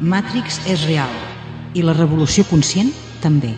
Matrix és real i la revolució conscient també.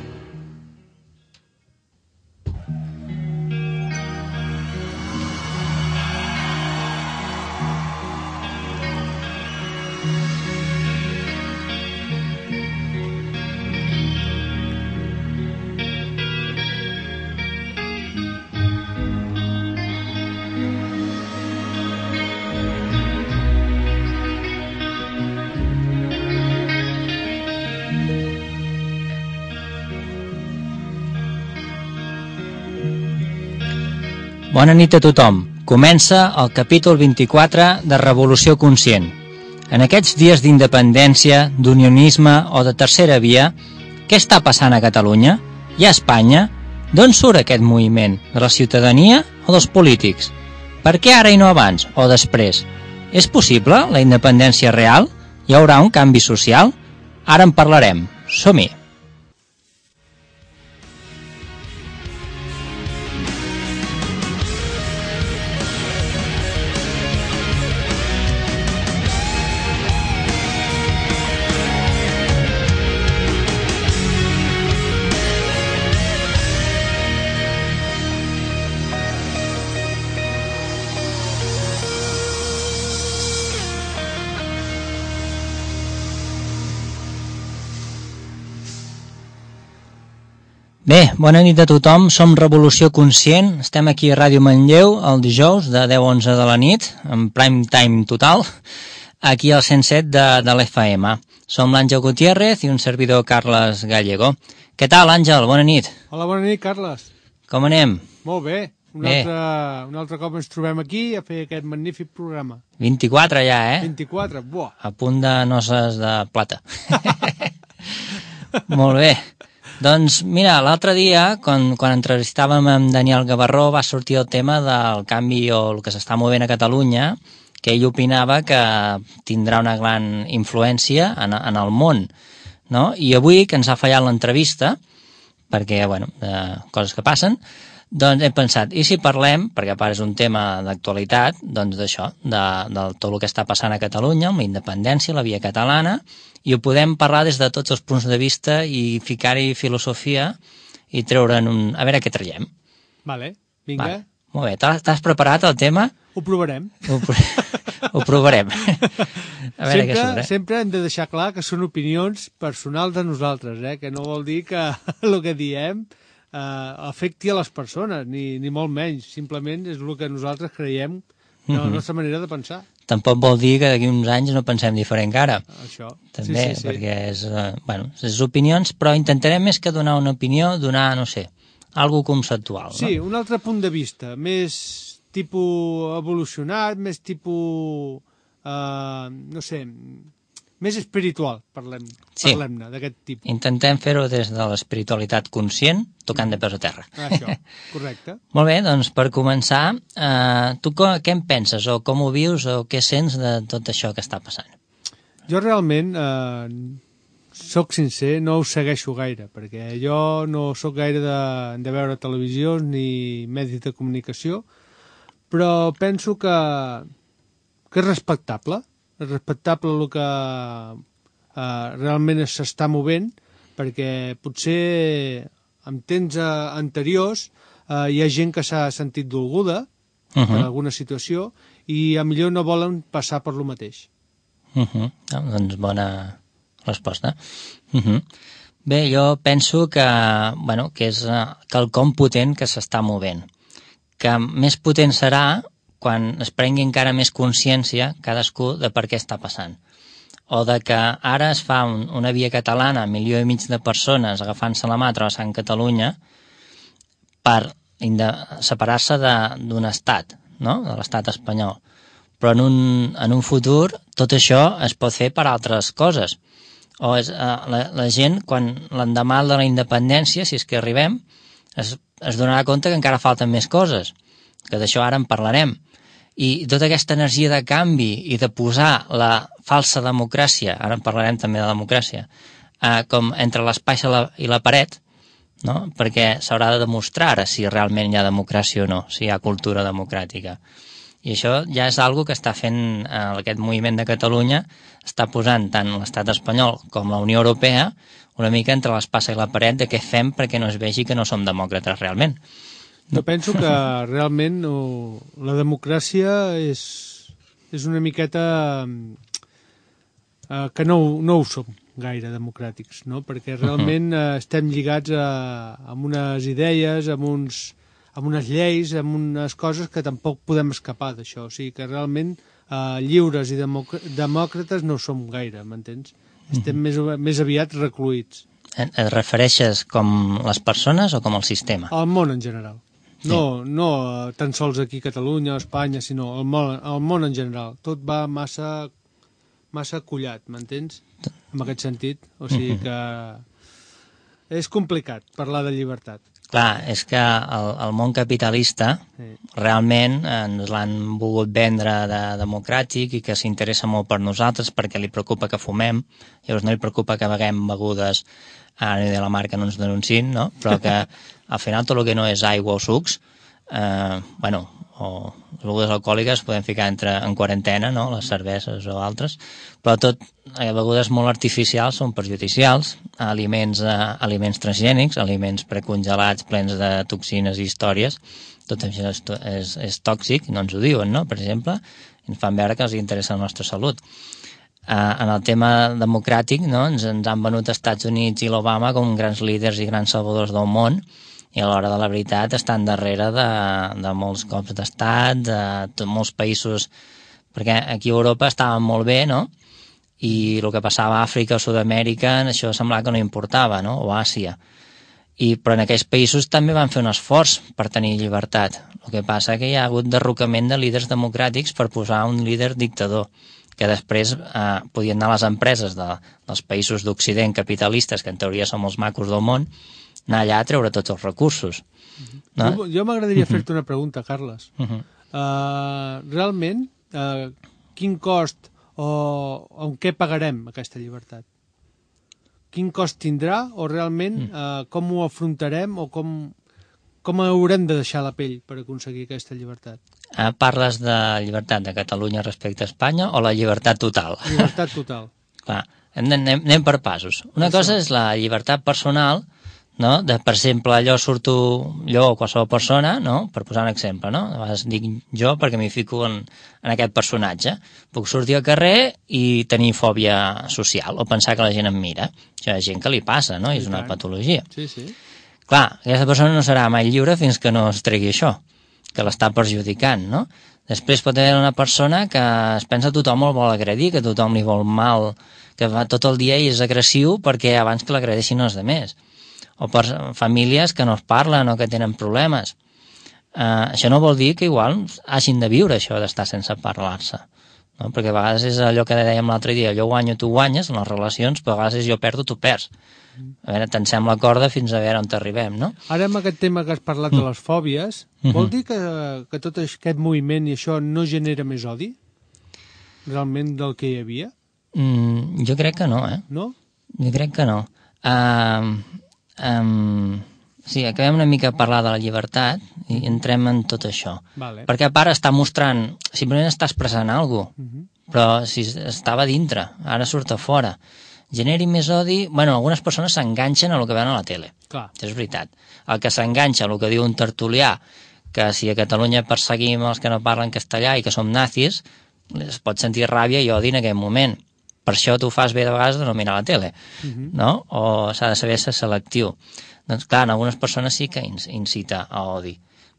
Bona nit a tothom. Comença el capítol 24 de Revolució Conscient. En aquests dies d'independència, d'unionisme o de tercera via, què està passant a Catalunya? I a Espanya? D'on surt aquest moviment? De la ciutadania o dels polítics? Per què ara i no abans o després? És possible la independència real? Hi haurà un canvi social? Ara en parlarem. Som-hi! Bé, bona nit a tothom, som Revolució Conscient, estem aquí a Ràdio Manlleu el dijous de 10 a 11 de la nit, en prime time total, aquí al 107 de l'FM. Som l'Àngel Gutiérrez i un servidor Carles Gallego. Què tal, Àngel? Bona nit. Hola, bona nit, Carles. Com anem? Molt bé. Un altre cop ens trobem aquí a fer aquest magnífic programa. 24 ja, 24, buah. A punt de noces de plata. Molt bé. Doncs mira, l'altre dia, quan entrevistàvem amb Daniel Gavarró, va sortir el tema del canvi o el que s'està movent a Catalunya, que ell opinava que tindrà una gran influència en el món, no? I avui, que ens ha fallat l'entrevista, perquè, bueno, coses que passen, doncs hem pensat, i si parlem, perquè a part és un tema d'actualitat, doncs d'això, de tot el que està passant a Catalunya, amb la independència, la via catalana, i ho podem parlar des de tots els punts de vista i ficar-hi filosofia i treure'n un... A veure què traiem. Vale, vinga. Va, molt bé, t'has preparat el tema? Ho provarem. Ho provarem. A veure què surt, Sempre hem de deixar clar que són opinions personals de nosaltres, que no vol dir que el que diem afecti a les persones, ni molt menys. Simplement és el que nosaltres creiem de la nostra manera de pensar. Tampoc vol dir que d'aquí uns anys no pensem diferent que ara. Això. També, sí. Perquè és opinions, però intentarem més que donar una opinió, donar, no sé, algo conceptual. Sí, no? Un altre punt de vista, més tipus evolucionat, més tipus, no sé, més espiritual, parlem-ne d'aquest tipus. Intentem fer-ho des de l'espiritualitat conscient, tocant de peus a terra. Això, correcte. Molt bé, doncs per començar, tu què en penses, o com ho vius, o què sents de tot això que està passant? Jo realment, soc sincer, no ho segueixo gaire, perquè jo no sóc gaire de veure televisió ni medis de comunicació, però penso que és respectable. És respectable el que realment s'està movent, perquè potser en temps anteriors hi ha gent que s'ha sentit dolguda per alguna situació i a millor no volen passar per lo mateix. Doncs bona resposta. Bé, jo penso que és quelcom potent que s'està movent, que més potent serà quan es prengui encara més consciència cadascú de per què està passant. O de que ara es fa una via catalana, 1,5 milió de persones agafant-se la mà travessant Catalunya per separar-se d'un estat, no? De l'estat espanyol. Però en un futur tot això es pot fer per altres coses. O la gent, quan l'endemà de la independència, si és que arribem, es donarà compte que encara falten més coses, que d'això ara en parlarem. I tota aquesta energia de canvi i de posar la falsa democràcia, ara en parlarem també de democràcia, com entre l'espai i la paret, no? Perquè s'haurà de demostrar ara si realment hi ha democràcia o no, si hi ha cultura democràtica. I això ja és algo que està fent aquest moviment de Catalunya, està posant tant l'estat espanyol com la Unió Europea una mica entre l'espasa i la paret de què fem perquè no es vegi que no som demòcrates realment. Jo penso que realment la democràcia és una miqueta que no ho som gaire democràtics, no? Perquè realment estem lligats amb unes idees, amb unes lleis, amb unes coses que tampoc podem escapar d'això. O sigui que realment lliures i demòcrates no som gaire, m'entens? Estem més aviat recluïts. Et refereixes com les persones o com el sistema? El món en general. No tan sols aquí a Catalunya o Espanya, sinó el món en general. Tot va massa collat, m'entens? En aquest sentit. O sigui que és complicat parlar de llibertat. Clar, és que el món capitalista realment ens l'han volgut vendre de democràtic i que s'interessa molt per nosaltres perquè li preocupa que fumem, llavors no li preocupa que beguem begudes, ara ni de la marca no ens denunciïn, no? Però que al final tot el que no és aigua o sucs, o les begudes alcohòliques podem ficar en quarantena, no? Les cerveses o altres, però tot begudes molt artificials són perjudicials, aliments transgènics, aliments precongelats plens de toxines i històries, tot això és tòxic, no ens ho diuen, no? Per exemple, ens fan veure que els interessa la nostra salut. En el tema democràtic, no? Ens han venut als Estats Units i l'Obama com grans líders i grans salvadors del món, i a l'hora de la veritat estan darrere de molts cops d'estat, de molts països, perquè aquí a Europa estaven molt bé, no? I el que passava a Àfrica o Sud-amèrica, això semblava que no importava, no? O Àsia. Però en aquells països també van fer un esforç per tenir llibertat. El que passa que hi ha hagut derrocament de líders democràtics per posar un líder dictador, que després podien anar a les empreses dels països d'Occident capitalistes, que en teoria són els macos del món, anar allà a treure tots els recursos. No? Jo m'agradaria fer-te una pregunta, Carles. Realment, quin cost o en què pagarem aquesta llibertat? Quin cost tindrà o realment com ho afrontarem o com haurem de deixar la pell per aconseguir aquesta llibertat? Parles de llibertat de Catalunya respecte a Espanya o la llibertat total? Llibertat total. Clar, anem per passos. Una cosa és la llibertat personal, no? Per exemple, jo o qualsevol persona, no? Per posar un exemple, no? A vegades dic jo perquè m'hi fico en aquest personatge. Puc sortir al carrer i tenir fòbia social o pensar que la gent em mira. Això hi ha gent que li passa, no? I és una patologia. Sí, sí. Clar, aquesta persona no serà mai lliure fins que no es tregui això, que l'està perjudicant, no? Després pot haver una persona que es pensa que tothom el vol agredir, que tothom li vol mal, que va tot el dia i és agressiu perquè abans que l'agredeixin els altres. O per famílies que no es parlen o que tenen problemes. Això no vol dir que igual hagin de viure això d'estar sense parlar-se, no? Perquè a vegades és allò que dèiem l'altre dia, jo guanyo, tu guanyes en les relacions, però a vegades és jo perdo, tu perds. A veure, tensem la corda fins a veure on t'arribem, no? Ara amb aquest tema que has parlat de les fòbies, vol dir que tot aquest moviment i això no genera més odi? Realment del que hi havia? Jo crec que no, No? Jo crec que no. Sí, acabem una mica a parlar de la llibertat i entrem en tot això. Vale. Perquè a part està mostrant, simplement està expressant alguna cosa, però si estava dintre, ara surt a fora. Generi més odi... Bueno, algunes persones s'enganxen a el que veuen a la tele. Clar. Això és veritat. El que s'enganxa a el que diu un tertulià, que si a Catalunya perseguim els que no parlen castellà i que som nazis, es pot sentir ràbia i odi en aquell moment. Per això tu fas bé de vegades de no mirar la tele, no? O s'ha de saber ser selectiu. Doncs clar, en algunes persones sí que incita a odi,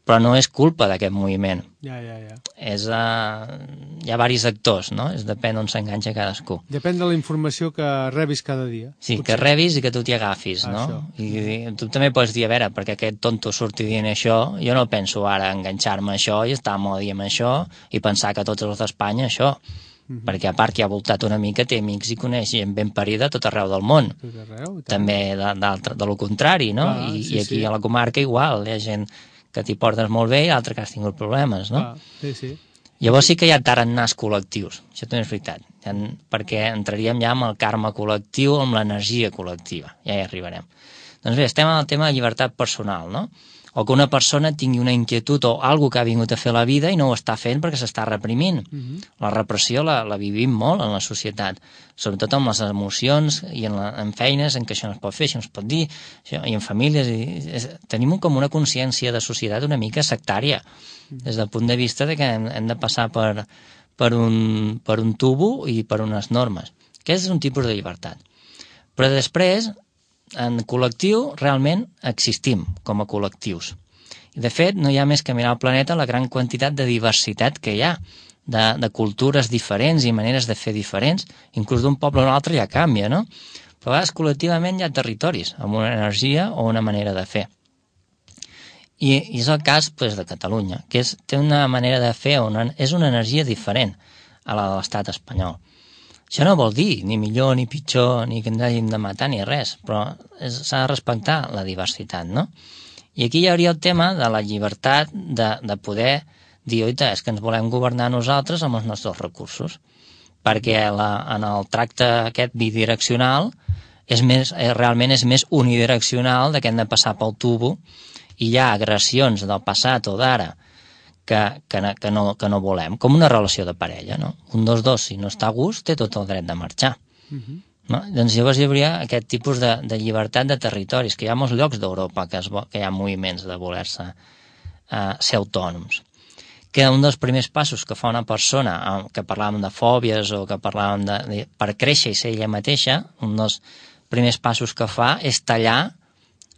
però no és culpa d'aquest moviment. Ja. Hi ha diversos actors, no? Depèn on s'enganxa cadascú. Depèn de la informació que rebis cada dia. Sí, potser. Que rebis i que tu t'hi agafis, no? I tu també pots dir, a veure, perquè aquest tonto surti dient això, jo no penso ara enganxar-me a això i estar amb odi amb això i pensar que tots els d'Espanya això, perquè a part que ha voltat una mica té amics i coneix gent ben parida a tot arreu del món. Tot arreu, també de lo contrari, no? Clar, I aquí a la comarca igual, hi ha gent que t'hi portes molt bé i l'altre que has tingut problemes, no? Sí. Llavors sí que hi ha tarannars col·lectius, això també és veritat, perquè entraríem ja amb el karma col·lectiu, amb l'energia col·lectiva, ja hi arribarem. Doncs bé, estem en el tema de llibertat personal, no? o que una persona tingui una inquietud o alguna que ha vingut a fer la vida i no ho està fent perquè s'està reprimint. La repressió la vivim molt en la societat, sobretot amb les emocions i en feines en què això no es pot fer, això no es pot dir, i en famílies. Tenim com una consciència de societat una mica sectària, des del punt de vista de que hem de passar per un tubo i per unes normes. Aquest és un tipus de llibertat. Però després, en col·lectiu, realment existim com a col·lectius. I, de fet, no hi ha més que mirar al planeta la gran quantitat de diversitat que hi ha, de cultures diferents i maneres de fer diferents, inclús d'un poble a un altre ja canvia, no? Però a vegades, col·lectivament, hi ha territoris amb una energia o una manera de fer. I és el cas de Catalunya, que té una manera de fer, és una energia diferent a la de l'estat espanyol. Això no vol dir ni millor ni pitjor, ni que ens hàgim de matar ni res, però s'ha de respectar la diversitat, no? I aquí hi hauria el tema de la llibertat de poder dir, oita, és que ens volem governar nosaltres amb els nostres recursos, perquè en el tracte aquest bidireccional realment és més unidireccional, que hem de passar pel tubo, i hi ha agressions del passat o d'ara que no volem, com una relació de parella, no? Un dels dos, si no està a gust, té tot el dret de marxar. No? Doncs llavors hi hauria aquest tipus de llibertat de territoris, que hi ha molts llocs d'Europa que hi ha moviments de voler-se ser autònoms. Que un dels primers passos que fa una persona, que parlàvem de fòbies o que parlàvem per créixer i ser ella mateixa, un dels primers passos que fa és tallar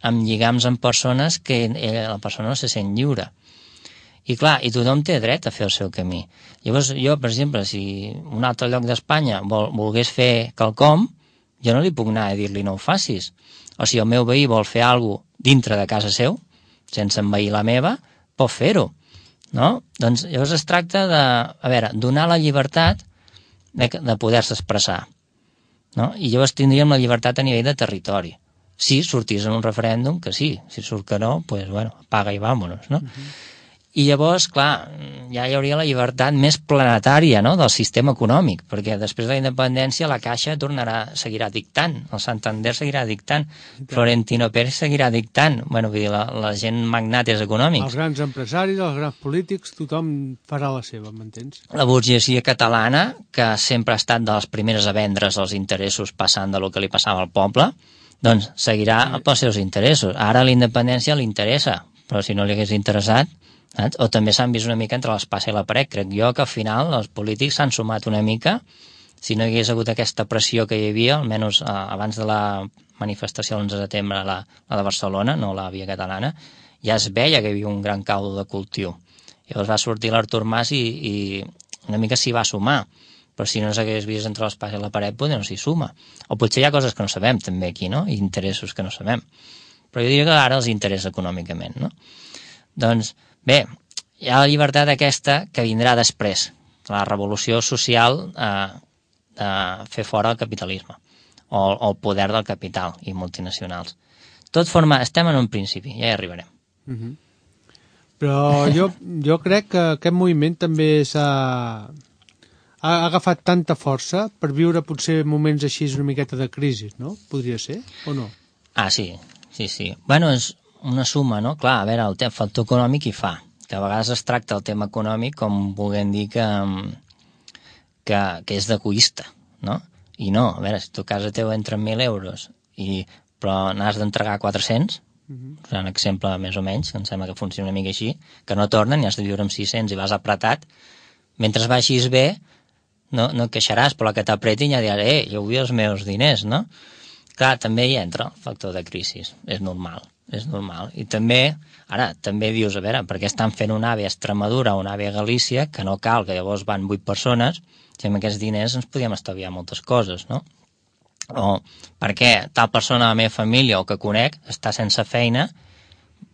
amb lligams amb persones que la persona no se sent lliure. I clar, i tothom té dret a fer el seu camí. Llavors jo, per exemple, si un altre lloc d'Espanya volgués fer quelcom, jo no li puc anar a dir-li no ho facis. O si el meu veí vol fer alguna cosa dintre de casa seu, sense envair la meva, pot fer-ho. No? Doncs llavors es tracta donar la llibertat de poder-se expressar. No? I llavors tindríem la llibertat a nivell de territori. Si sortís en un referèndum, que sí. Si surt que no, doncs, bueno, apaga i vámonos, no? I llavors, clar, ja hi hauria la llibertat més planetària, no?, del sistema econòmic, perquè després de la independència la Caixa seguirà dictant, el Santander seguirà dictant, Florentino Pérez seguirà dictant, bueno, vull dir, la gent magnates econòmics. Els grans empresaris, els grans polítics, tothom farà la seva, m'entens? La burgesia catalana, que sempre ha estat de les primeres a vendre's els interessos passant de lo que li passava al poble, doncs seguirà pels seus interessos. Ara la independència li interessa, però si no li hagués interessat, saps? O també s'han vist una mica entre l'espasa i la paret. Crec jo que al final els polítics s'han sumat una mica. Si no hi hagués hagut aquesta pressió que hi havia, almenys abans de la manifestació l'11 de setembre, la de Barcelona, no la via catalana, ja es veia que hi havia un gran caldo de cultiu. Llavors va sortir l'Artur Mas i una mica s'hi va sumar. Però si no s'hagués vist entre l'espasa i la paret, potser no s'hi suma. O potser hi ha coses que no sabem també aquí, no? I interessos que no sabem. Però jo diria que ara els interessa econòmicament, no? Doncs bé, hi ha la llibertat aquesta que vindrà després, la revolució social de fer fora el capitalisme o el poder del capital i multinacionals. Estem en un principi, ja hi arribarem. Però jo crec que aquest moviment també ha agafat tanta força per viure potser moments així una miqueta de crisi, no? Podria ser, o no? Ah, sí. Bueno, és una suma, no? Clar, a veure, el factor econòmic hi fa, que a vegades es tracta el tema econòmic com volent dir que és d'egoista, no? I no, a veure, si tu a casa teu entren 1.000 euros però n'has d'entregar 400, és un exemple més o menys, que em sembla que funciona una mica així, que no tornen i has de viure amb 600 i vas apretat, mentre baixis bé, no et queixaràs, però la que t'apretin ja diràs, jo vull els meus diners, no? Clar, també hi entra el factor de crisi, és normal. I també dius, a veure, per què estan fent un AVE a Extremadura o un AVE a Galícia, que no cal, que llavors van 8 persones, si amb aquests diners ens podíem estalviar moltes coses, no? O per què tal persona de la meva família o que conec està sense feina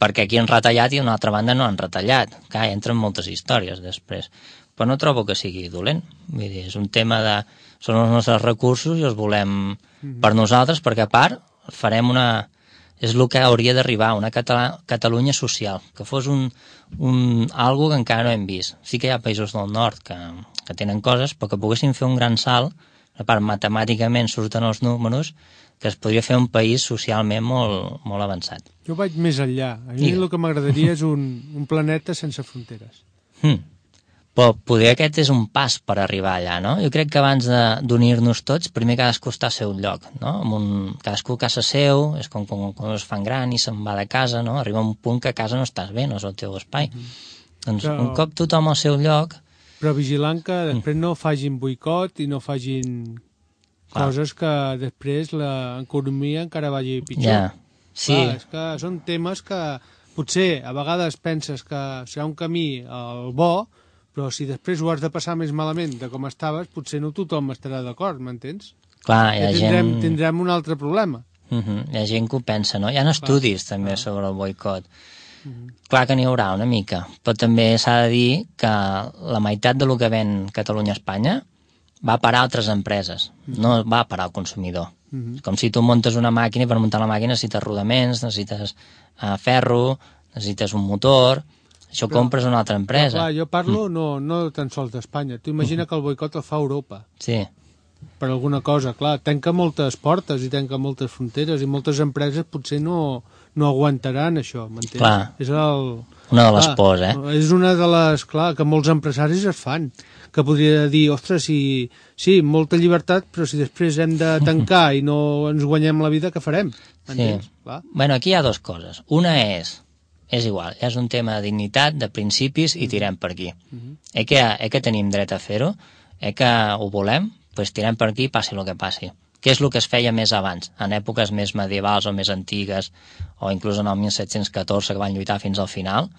perquè aquí han retallat i d'una altra banda no han retallat. Clar, entren moltes històries després. Però no trobo que sigui dolent. Vull dir, és un tema són els nostres recursos i els volem per nosaltres, perquè a part farem és el que hauria d'arribar, una Catalunya social, que fos algo que encara no hem vist. Sí que hi ha països del nord que tenen coses, però que poguessin fer un gran salt, a part matemàticament surten els números, que es podria fer un país socialment molt, molt avançat. Jo vaig més enllà. A mi el que m'agradaria és un planeta sense fronteres. Però poder aquest és un pas per arribar allà, no? Jo crec que abans d'unir-nos tots, primer cadascú està al seu lloc, no? Cadascú a casa seu, és com quan es fan gran i se'n va de casa, no? Arriba un punt que a casa no estàs bé, no és el teu espai. Doncs un cop tothom al seu lloc... Però vigilant que després no facin boicot i no facin coses que després l'economia encara vagi pitjor. Ja, sí. Clar, és que són temes que potser a vegades penses que serà un camí al bo, però si després ho has de passar més malament de com estaves, potser no tothom estarà d'acord, m'entens? Clar, hi ha gent... Tindrem un altre problema. Hi ha gent que ho pensa, no? Hi ha estudis també sobre el boicot. Clar que n'hi haurà una mica, però també s'ha de dir que la meitat del que ven Catalunya a Espanya va a parar a altres empreses, no va a parar al consumidor. Com si tu muntes una màquina i per muntar la màquina necessites rodaments, necessites ferro, necessites un motor... Això ho compres a una altra empresa. Clar, jo parlo no tan sols d'Espanya. Tu imagina que el boicot el fa Europa. Sí. Per alguna cosa, clar. Tanca moltes portes i tanca moltes fronteres i moltes empreses potser no aguantaran això, m'entens? Clar. És una de les pors, És una de les, clar, que molts empresaris es fan. Que podria dir, ostres, sí, molta llibertat, però si després hem de tancar i no ens guanyem la vida, què farem? M'entens? Sí. Bueno, aquí hi ha dues coses. Una és igual, és un tema de dignitat, de principis i tirem per aquí. Que tenim dret a fer-ho, que ho volem, doncs tirem per aquí i passi el que passi. Què és el que es feia més abans, en èpoques més medievals o més antigues, o inclús en el 1714 que van lluitar fins al final,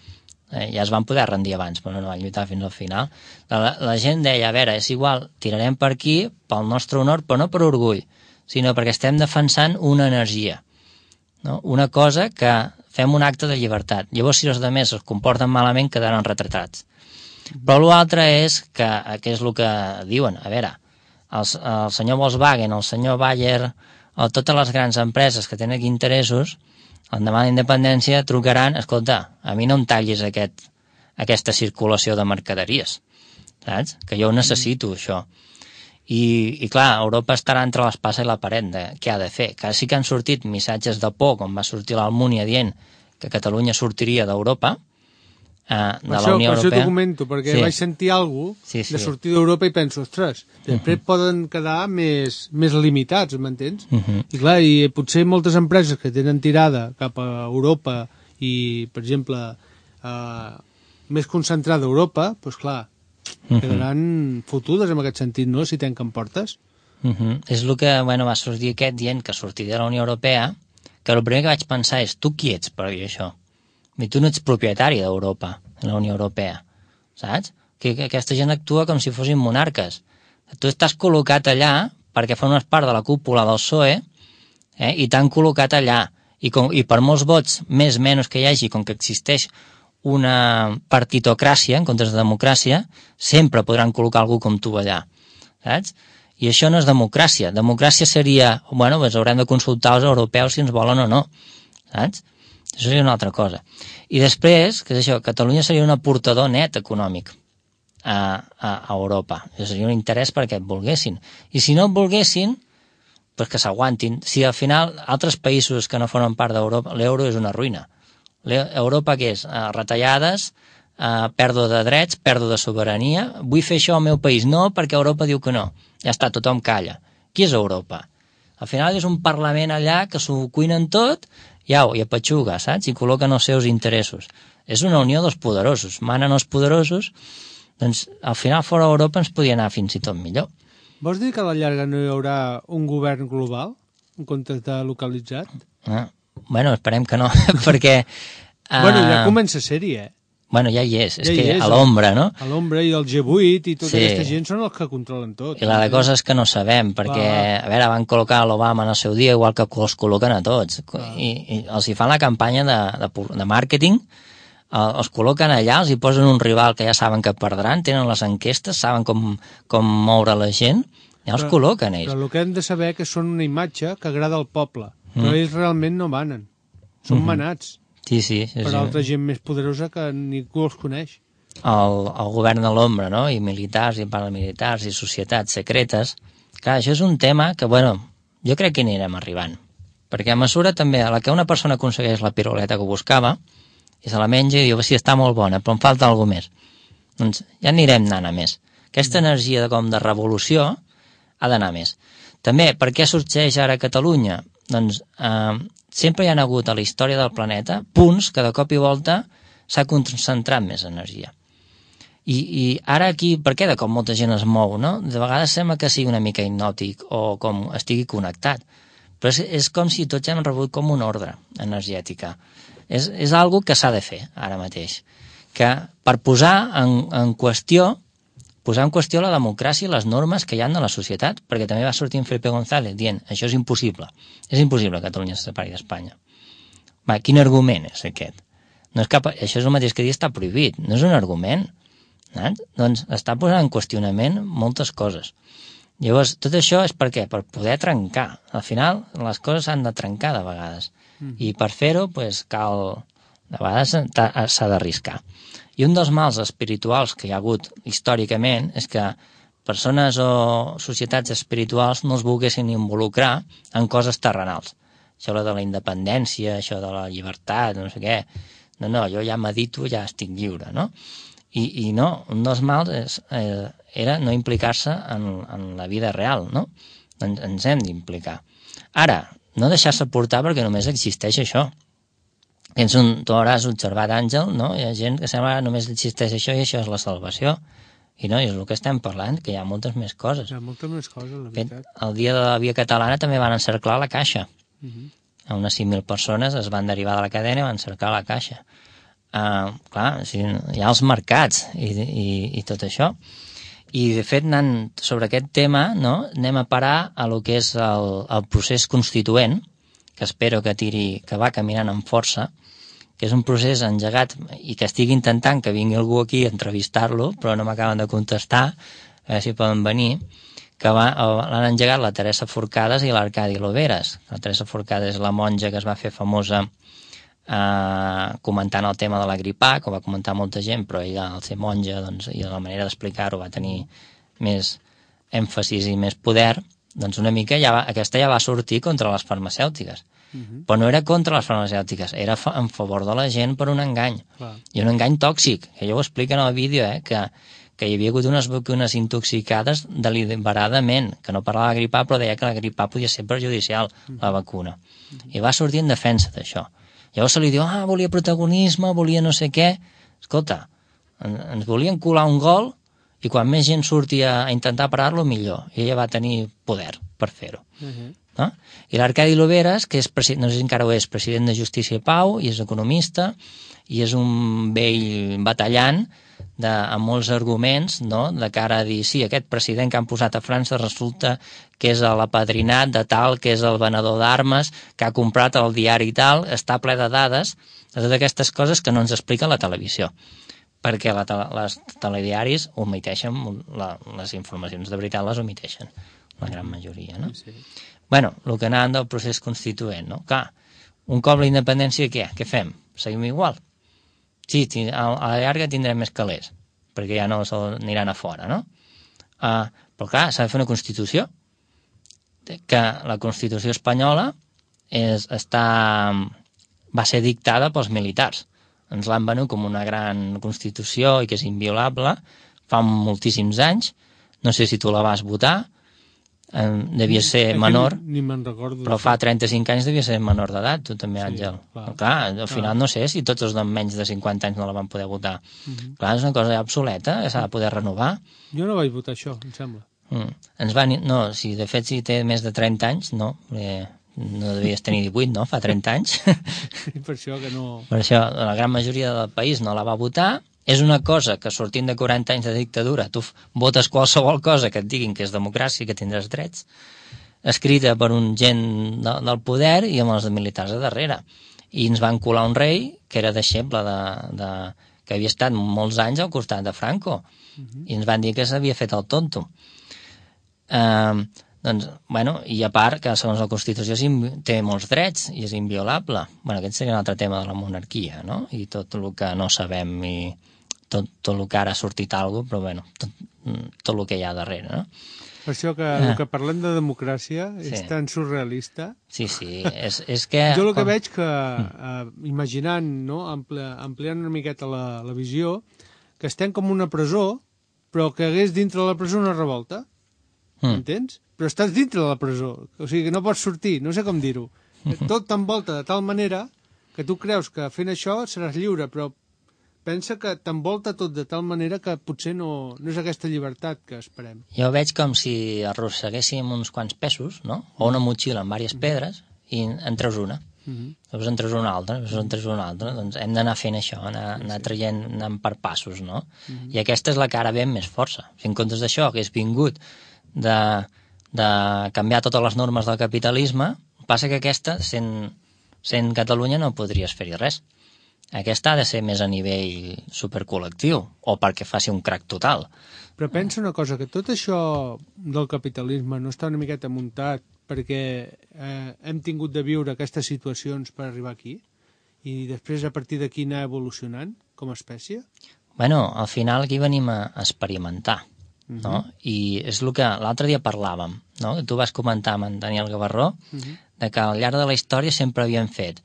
ja es van poder rendir abans, però no van lluitar fins al final. La gent deia, a veure, és igual, tirarem per aquí pel nostre honor, però no per orgull, sinó perquè estem defensant una energia, no? Una cosa que fem un acte de llibertat. Llavors, si els altres es comporten malament, quedaran retratats. Però l'altre és que és el que diuen, a veure, el senyor Volkswagen, el senyor Bayer, o totes les grans empreses que tenen aquí interessos, l'endemà de la independència trucaran, escolta, a mi no em tallis aquesta circulació de mercaderies, saps? Que jo ho necessito, això. I clar, Europa estarà entre l'espasa i la paret de què ha de fer. Que sí que han sortit missatges de por, com va sortir l'Almúnia dient que Catalunya sortiria d'Europa, de la Unió Europea. Per això t'ho comento, perquè vaig sentir alguna cosa de sortir d'Europa i penso, ostres, després poden quedar més limitats, m'entens? I clar, i potser moltes empreses que tenen tirada cap a Europa i, per exemple, més concentrada a Europa, doncs clar, quedaran fotudes en aquest sentit, no?, si tanquen portes. És el que va sortir aquest dient que sortirà de la Unió Europea, que el primer que vaig pensar és, tu qui ets per dir això? Tu no ets propietari d'Europa, de la Unió Europea, saps? Que aquesta gent actua com si fossin monarques. Tu estàs col·locat allà perquè formes part de la cúpula del PSOE i t'han col·locat allà. I per molts vots, més o menys que hi hagi, com que existeix una partitocràcia en comptes de democràcia, sempre podran col·locar algú com tu allà, saps? I això no és democràcia. Democràcia seria, doncs haurem de consultar els europeus si ens volen o no, saps? Això seria una altra cosa. I després, que és això, Catalunya seria un aportador net econòmic a Europa. Això seria un interès perquè et volguessin. I si no et volguessin, doncs que s'aguantin. Si al final altres països que no formen part d'Europa, l'euro és una ruïna. Europa què és? Retallades, pèrdua de drets, pèrdua de sobirania. Vull fer això al meu país. No, perquè Europa diu que no. Ja està, tothom calla. Qui és Europa? Al final és un parlament allà que s'ho cuinen tot i apatxuga, saps? I col·loquen els seus interessos. És una unió dels poderosos. Manen els poderosos, doncs al final fora d'Europa ens podia anar fins i tot millor. Vols dir que a la llarga no hi haurà un govern global en comptes de localitzat? Esperem que no, perquè... ja comença a ser-hi, ja hi és, a l'ombra, no? A l'ombra i el G8 i tota aquesta gent són els que controlen tot. I la de coses que no sabem, perquè, a veure, van col·locar l'Obama en el seu dia igual que els col·loquen a tots. I els hi fan la campanya de màrqueting, els col·loquen allà, els hi posen un rival que ja saben que perdran, tenen les enquestes, saben com moure la gent, ja els col·loquen ells. Però el que hem de saber que són una imatge que agrada al poble, però ells realment no manen. Són manats. Sí. Per altra gent més poderosa que ningú els coneix. El govern de l'ombra, no? I militars, i paramilitars, i societats secretes. Clar, això és un tema que, jo crec que hi anirem arribant. Perquè a mesura també, a la que una persona aconsegueix la piruleta que buscava, i se la menja i diu, sí, està molt bona, però em falta alguna més. Doncs ja anirem anant a més. Aquesta energia de revolució ha d'anar a més. També, per què sorgeix ara a Catalunya? Doncs sempre hi ha hagut a la història del planeta punts que de cop i volta s'ha concentrat més energia. I ara aquí, per què de cop molta gent es mou, no? De vegades sembla que sigui una mica hipnòtic o com estigui connectat, però és com si tots hem rebut com una ordre energètica. És algo que s'ha de fer ara mateix, que per posar en qüestió la democràcia i les normes que hi ha de la societat, perquè també va sortir en Felipe González dient, això és impossible que Catalunya se separi d'Espanya. Quin argument és aquest? No és això és el mateix que dir està prohibit, no és un argument. Doncs està posant en qüestionament moltes coses. Llavors, tot això és per què? Per poder trencar. Al final, les coses s'han de trencar de vegades. I per fer-ho, cal... De vegades s'ha d'arriscar. I un dels mals espirituals que hi ha hagut històricament és que persones o societats espirituals no es volguessin involucrar en coses terrenals. Això de la independència, això de la llibertat, no sé què. No, jo ja medito, ja estic lliure, no? I no, un dels mals era no implicar-se en la vida real, no? Ens hem d'implicar. Ara, no deixar-se portar perquè només existeix això. Tu hauràs observat, Àngel, no? Hi ha gent que sembla que només existeix això i això és la salvació. I no, és el que estem parlant, que hi ha moltes més coses. Hi ha moltes més coses, la veritat. El dia de la Via Catalana també van encerclar la Caixa. A unes 5.000 persones es van derivar de la cadena i van cercar la Caixa. Clar, hi ha els mercats i tot això. I, de fet, anant sobre aquest tema, no, anem a parar a lo que és el procés constituent, que espero que va caminant amb força, que és un procés engegat i que estic intentant que vingui algú aquí a entrevistar-lo, però no m'acaben de contestar, a veure si poden venir, que l'han engegat la Teresa Forcades i l'Arcadi Loveras. La Teresa Forcades és la monja que es va fer famosa comentant el tema de la grip A, que ho va comentar molta gent, però ella, al ser monja, doncs, i la manera d'explicar-ho va tenir més èmfasis i més poder, doncs una mica aquesta ja va sortir contra les farmacèutiques. Però no era contra les farmacèutiques, era en favor de la gent per un engany. I un engany tòxic, que ella ho explica en el vídeo, que hi havia hagut unes vacunes intoxicades deliberadament, que no parlava de grip A, però deia que la grip A podia ser perjudicial, la vacuna. I va sortir en defensa d'això. Llavors se li diu, volia protagonisme, volia no sé què. Escolta, ens volien colar un gol i quan més gent surti a intentar parar-lo, millor. I ella va tenir poder per fer-ho. No? I l'Arcadi Loveras, que és, no sé si encara ho és, president de Justícia i Pau, i és economista, i és un vell batallant amb molts arguments, no? De cara a dir, sí, aquest president que han posat a França resulta que és l'apadrinat de tal, que és el venedor d'armes, que ha comprat el diari i tal, està ple de dades, de totes aquestes coses que no ens explica la televisió, perquè les telediaris omiteixen, les informacions de veritat les omiteixen, la gran majoria, no? Sí. Bueno, el que anàvem del procés constituent, no? Clar, un cop la independència, què fem? Seguim igual? Sí, a la llarga tindrem més calés, perquè ja no aniran a fora, no? Però clar, s'ha de fer una Constitució, que la Constitució espanyola va ser dictada pels militars. Ens l'han venut com una gran Constitució i que és inviolable fa moltíssims anys. No sé si tu la vas votar, devia ser menor, ni me'n recordo, però fa 35 anys devia ser menor d'edat, tu també, Àngel. Clar, al final no sé si tots els de menys de 50 anys no la van poder votar. Clar, és una cosa obsoleta, s'ha de poder renovar. Jo no vaig votar això, em sembla. No, de fet, si té més de 30 anys, no devies tenir 18, no? Fa 30 anys. Per això que no... Per això, la gran majoria del país no la va votar. És una cosa que, sortint de 40 anys de dictadura, tu votes qualsevol cosa que et diguin que és democràcia i que tindràs drets, escrita per un gent del poder i amb els militars a darrere. I ens van colar un rei que era deixeble que havia estat molts anys al costat de Franco. I ens van dir que s'havia fet el tonto. Doncs, i a part que segons la Constitució té molts drets i és inviolable. Aquest seria un altre tema de la monarquia, no? I tot el que no sabem i tot el que ara ha sortit alguna cosa, però tot el que hi ha darrere, no? Per això que el que parlem de democràcia és tan surrealista. Sí, és que... Jo el que veig que, imaginant, no, ampliant una miqueta la visió, que estem com una presó, però que hagués dintre de la presó una revolta. M'entens? Però estàs dintre de la presó, o sigui que no pots sortir, no sé com dir-ho. Tot t'envolta de tal manera que tu creus que fent això seràs lliure, però pensa que t'envolta tot de tal manera que potser no és aquesta llibertat que esperem. Jo veig com si arrosseguéssim uns quants pesos, no? O una motxilla amb diverses pedres i en treus una. Llavors en treus una altra, doncs hem d'anar fent això, anar traient, anant per passos, no? I aquesta és la que ara ve amb més força. Si en comptes d'això hagués vingut de canviar totes les normes del capitalisme, passa que aquesta, sent Catalunya, no podries fer-hi res. Aquesta ha de ser més a nivell supercol·lectiu, o perquè faci un crac total. Però pensa una cosa, que tot això del capitalisme no està una miqueta muntat perquè hem tingut de viure aquestes situacions per arribar aquí? I després, a partir d'aquí, anar evolucionant com a espècie? Bueno, al final aquí venim a experimentar, no? I és el que l'altre dia parlàvem, no? Tu vas comentar amb en Daniel Gavarró de que al llarg de la història sempre havien fet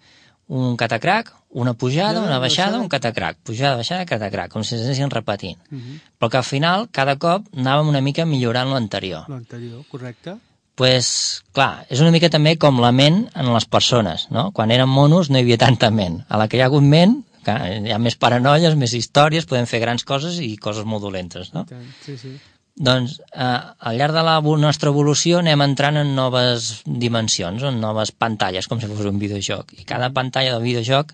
un catacrac, una pujada, una baixada, un catacrac, pujada, baixada, catacrac, com si s'anessin repetint. Però que al final, cada cop, anàvem una mica millorant l'anterior. L'anterior, correcte. Pues, clar, és una mica també com la ment en les persones, no? Quan eren monos no hi havia tanta ment. A la que hi ha hagut ment, clar, hi ha més paranoies, més històries, podem fer grans coses i coses molt dolentes, no? Sí, sí. Doncs al llarg de la nostra evolució anem entrant en noves dimensions, en noves pantalles, com si fos un videojoc. I cada pantalla del videojoc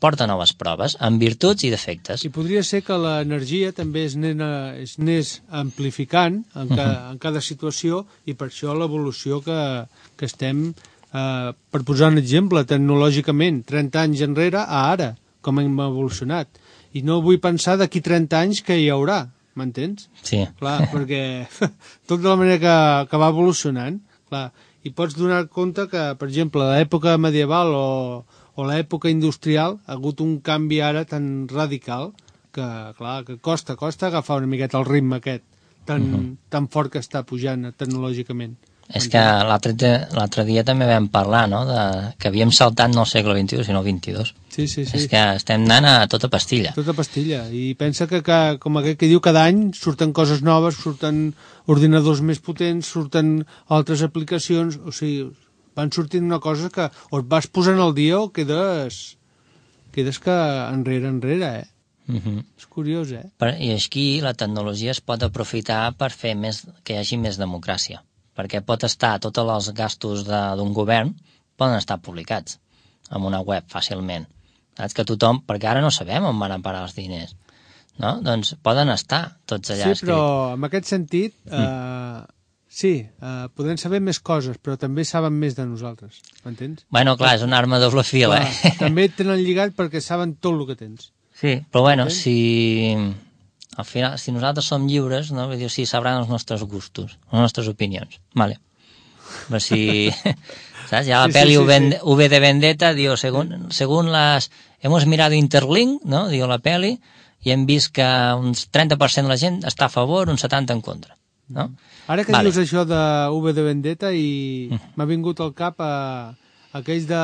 porta noves proves, amb virtuts i defectes. I podria ser que l'energia també es anés amplificant en cada situació, i per això l'evolució que estem, per posar un exemple, tecnològicament, 30 anys enrere a ara, com hem evolucionat. I no vull pensar d'aquí 30 anys que hi haurà, m'entens? Sí. Clar, perquè tot de la manera que va evolucionant, clar, i pots donar compte que, per exemple, a l'època medieval o l'època industrial ha hagut un canvi ara tan radical que, clar, que costa agafar una miqueta el ritme aquest tan fort que està pujant tecnològicament. És que l'altre dia també vam parlar, no?, que havíem saltat no al segle XXI, sinó al XXII. Sí. És que estem anant a tota pastilla. Tota pastilla. I pensa que com aquest que diu, cada any surten coses noves, surten ordinadors més potents, surten altres aplicacions, o sigui, van sortint una cosa que o et vas posant al dia o quedes que enrere, És curiós, I així la tecnologia es pot aprofitar per fer que hi hagi més democràcia, perquè pot estar, tots els gastos d'un govern poden estar publicats en una web fàcilment. Saps que tothom, perquè ara no sabem on van a parar els diners, no? Doncs poden estar tots allà escrits. Sí, però en aquest sentit, podem saber més coses, però també saben més de nosaltres, m'entens? Bueno, clar, és una arma de doble fil, També et tenen lligat perquè saben tot el que tens. Sí, però bueno, al final, si nosaltres som lliures, no? Vull dir, sí, sabran els nostres gustos, les nostres opinions, vale. Però si, ¿sabes? Ya la peli V de Vendetta, digo, según las... Hemos mirado Interlink, ¿no? Digo, la peli, i hem vist que un 30% de la gent està a favor, un 70% en contra, no? Ara que dius això de V de Vendetta i m'ha vingut al cap aquells de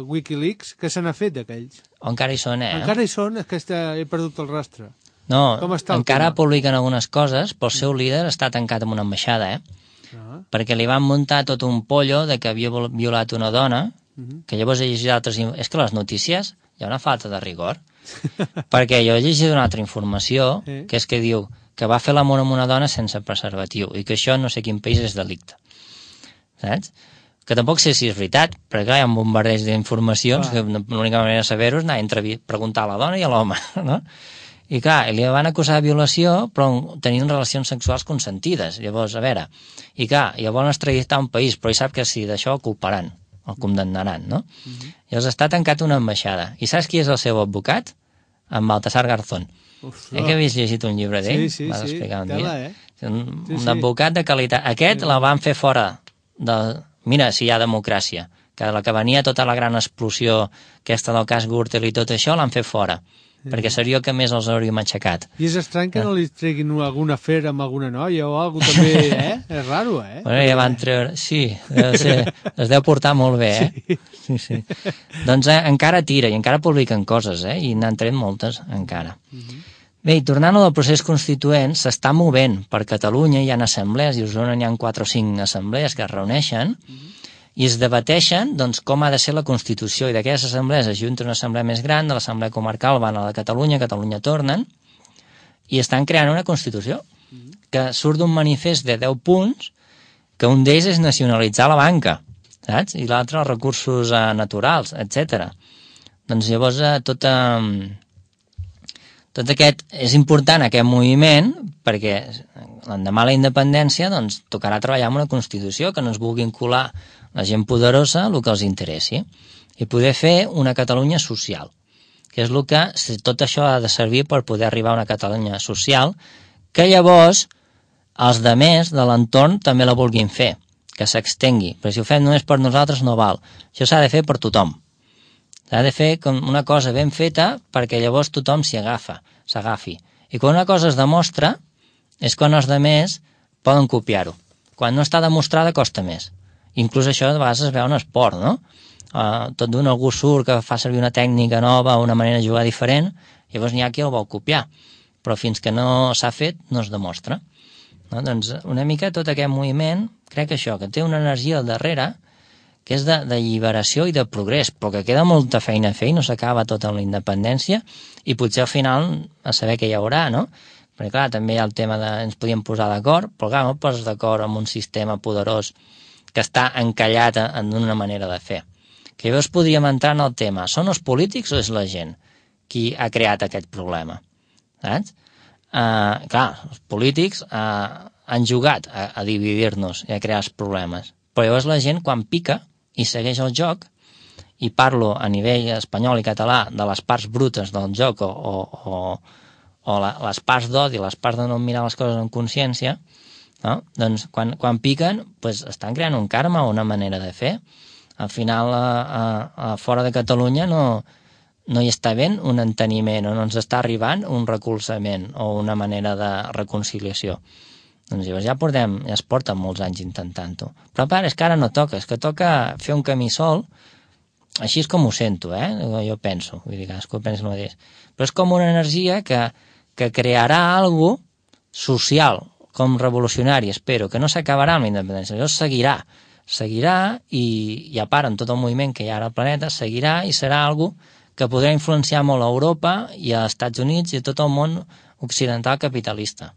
Wikileaks, que se n'ha fet d'aquells? Encara hi són, Encara hi són, és que he perdut el rastre. No, encara publiquen algunes coses, però el seu líder està tancat en una ambaixada, perquè li van muntar tot un pollo de que havia violat una dona, que llavors he llegit altres... És que les notícies hi ha una falta de rigor, perquè jo he llegit una altra informació, que és que diu que va fer l'amor amb una dona sense preservatiu, i que això no sé quin país és delicte. Saps? Que tampoc sé si és veritat, perquè clar, hi ha un bombardeig d'informacions, que l'única manera de saber-ho és anar a preguntar a la dona i a l'home, no? I clar, li van acusar de violació, però tenint relacions sexuals consentides. Llavors, a veure, i clar, llavors extraditar un país, però ell sap que si d'això el culparan, el condemnaran, no? Llavors està tancat una ambaixada. I saps qui és el seu advocat? En Baltasar Garzón. Que havies llegit un llibre d'ell? Sí, vas explicar un dia. Un advocat de qualitat. Aquest la van fer fora Mira, si hi ha democràcia. Que la que venia tota la gran explosió, aquesta del cas Gürtel i tot això, l'han fet fora. perquè seria el que més els hauríem aixecat. I és estrany que no li treguin alguna afer amb alguna noia o alguna cosa també, És raro, Bueno, ja van treure... Sí, es deu portar molt bé, Sí. Doncs encara tira i encara publiquen coses, I n'han tret moltes, encara. Bé, i tornant al procés constituent, s'està movent. Per Catalunya hi ha assemblees, i a Osona hi ha 4 o 5 assemblees que es reuneixen i es debateixen doncs, com ha de ser la Constitució, i d'aquelles assemblees es junta una assemblea més gran, de l'assemblea comarcal van a la de Catalunya tornen, i estan creant una Constitució que surt d'un manifest de 10 punts, que un d'ells és nacionalitzar la banca, saps? I l'altre els recursos naturals, etc. Doncs llavors tot aquest és important, aquest moviment, perquè l'endemà la independència doncs, tocarà treballar amb una Constitució que no ens vulguin colar la gent poderosa el que els interessi i poder fer una Catalunya social, que és el que tot això ha de servir per poder arribar a una Catalunya social que llavors els demés de l'entorn també la vulguin fer, que s'extengui, però si ho fem només per nosaltres no val, això s'ha de fer per tothom, s'ha de fer com una cosa ben feta perquè llavors tothom s'agafi, i quan una cosa es demostra és quan els demés poden copiar-ho, quan no està demostrada costa més. Inclús això de vegades es veu en esport, no? Tot d'un algú surt que fa servir una tècnica nova o una manera de jugar diferent, llavors n'hi ha qui el vol copiar, però fins que no s'ha fet no es demostra. No? Doncs una mica tot aquest moviment, crec que això, que té una energia al darrere, que és d'alliberació i de progrés, però que queda molta feina a fer i no s'acaba tot amb la independència, i potser al final a saber què hi haurà, no? Perquè clar, també hi ha el tema de ens podíem posar d'acord, però clar, no et poses d'acord amb un sistema poderós que està encallat en una manera de fer. Que llavors podríem entrar en el tema, són els polítics o és la gent qui ha creat aquest problema? Saps? Clar, els polítics han jugat a dividir-nos i a crear els problemes, però llavors la gent quan pica i segueix el joc, i parlo a nivell espanyol i català de les parts brutes del joc o les parts d'odi, les parts de no mirar les coses amb consciència, no? Doncs quan piquen doncs estan creant un karma o una manera de fer. Al final a fora de Catalunya no hi està havent un enteniment o no ens està arribant un recolzament o una manera de reconciliació. Doncs llavors ja es porten molts anys intentant-ho. Però a part és que ara no toca, és que toca fer un camí sol, així és com ho sento, jo penso, vull dir, cadascú pensa el mateix. Però és com una energia que crearà alguna cosa social, com revolucionari, espero, que no s'acabarà amb la independència, llavors seguirà i a part en tot el moviment que hi ha ara al planeta, seguirà i serà algo que podrà influenciar molt a Europa i als Estats Units i a tot el món occidental capitalista,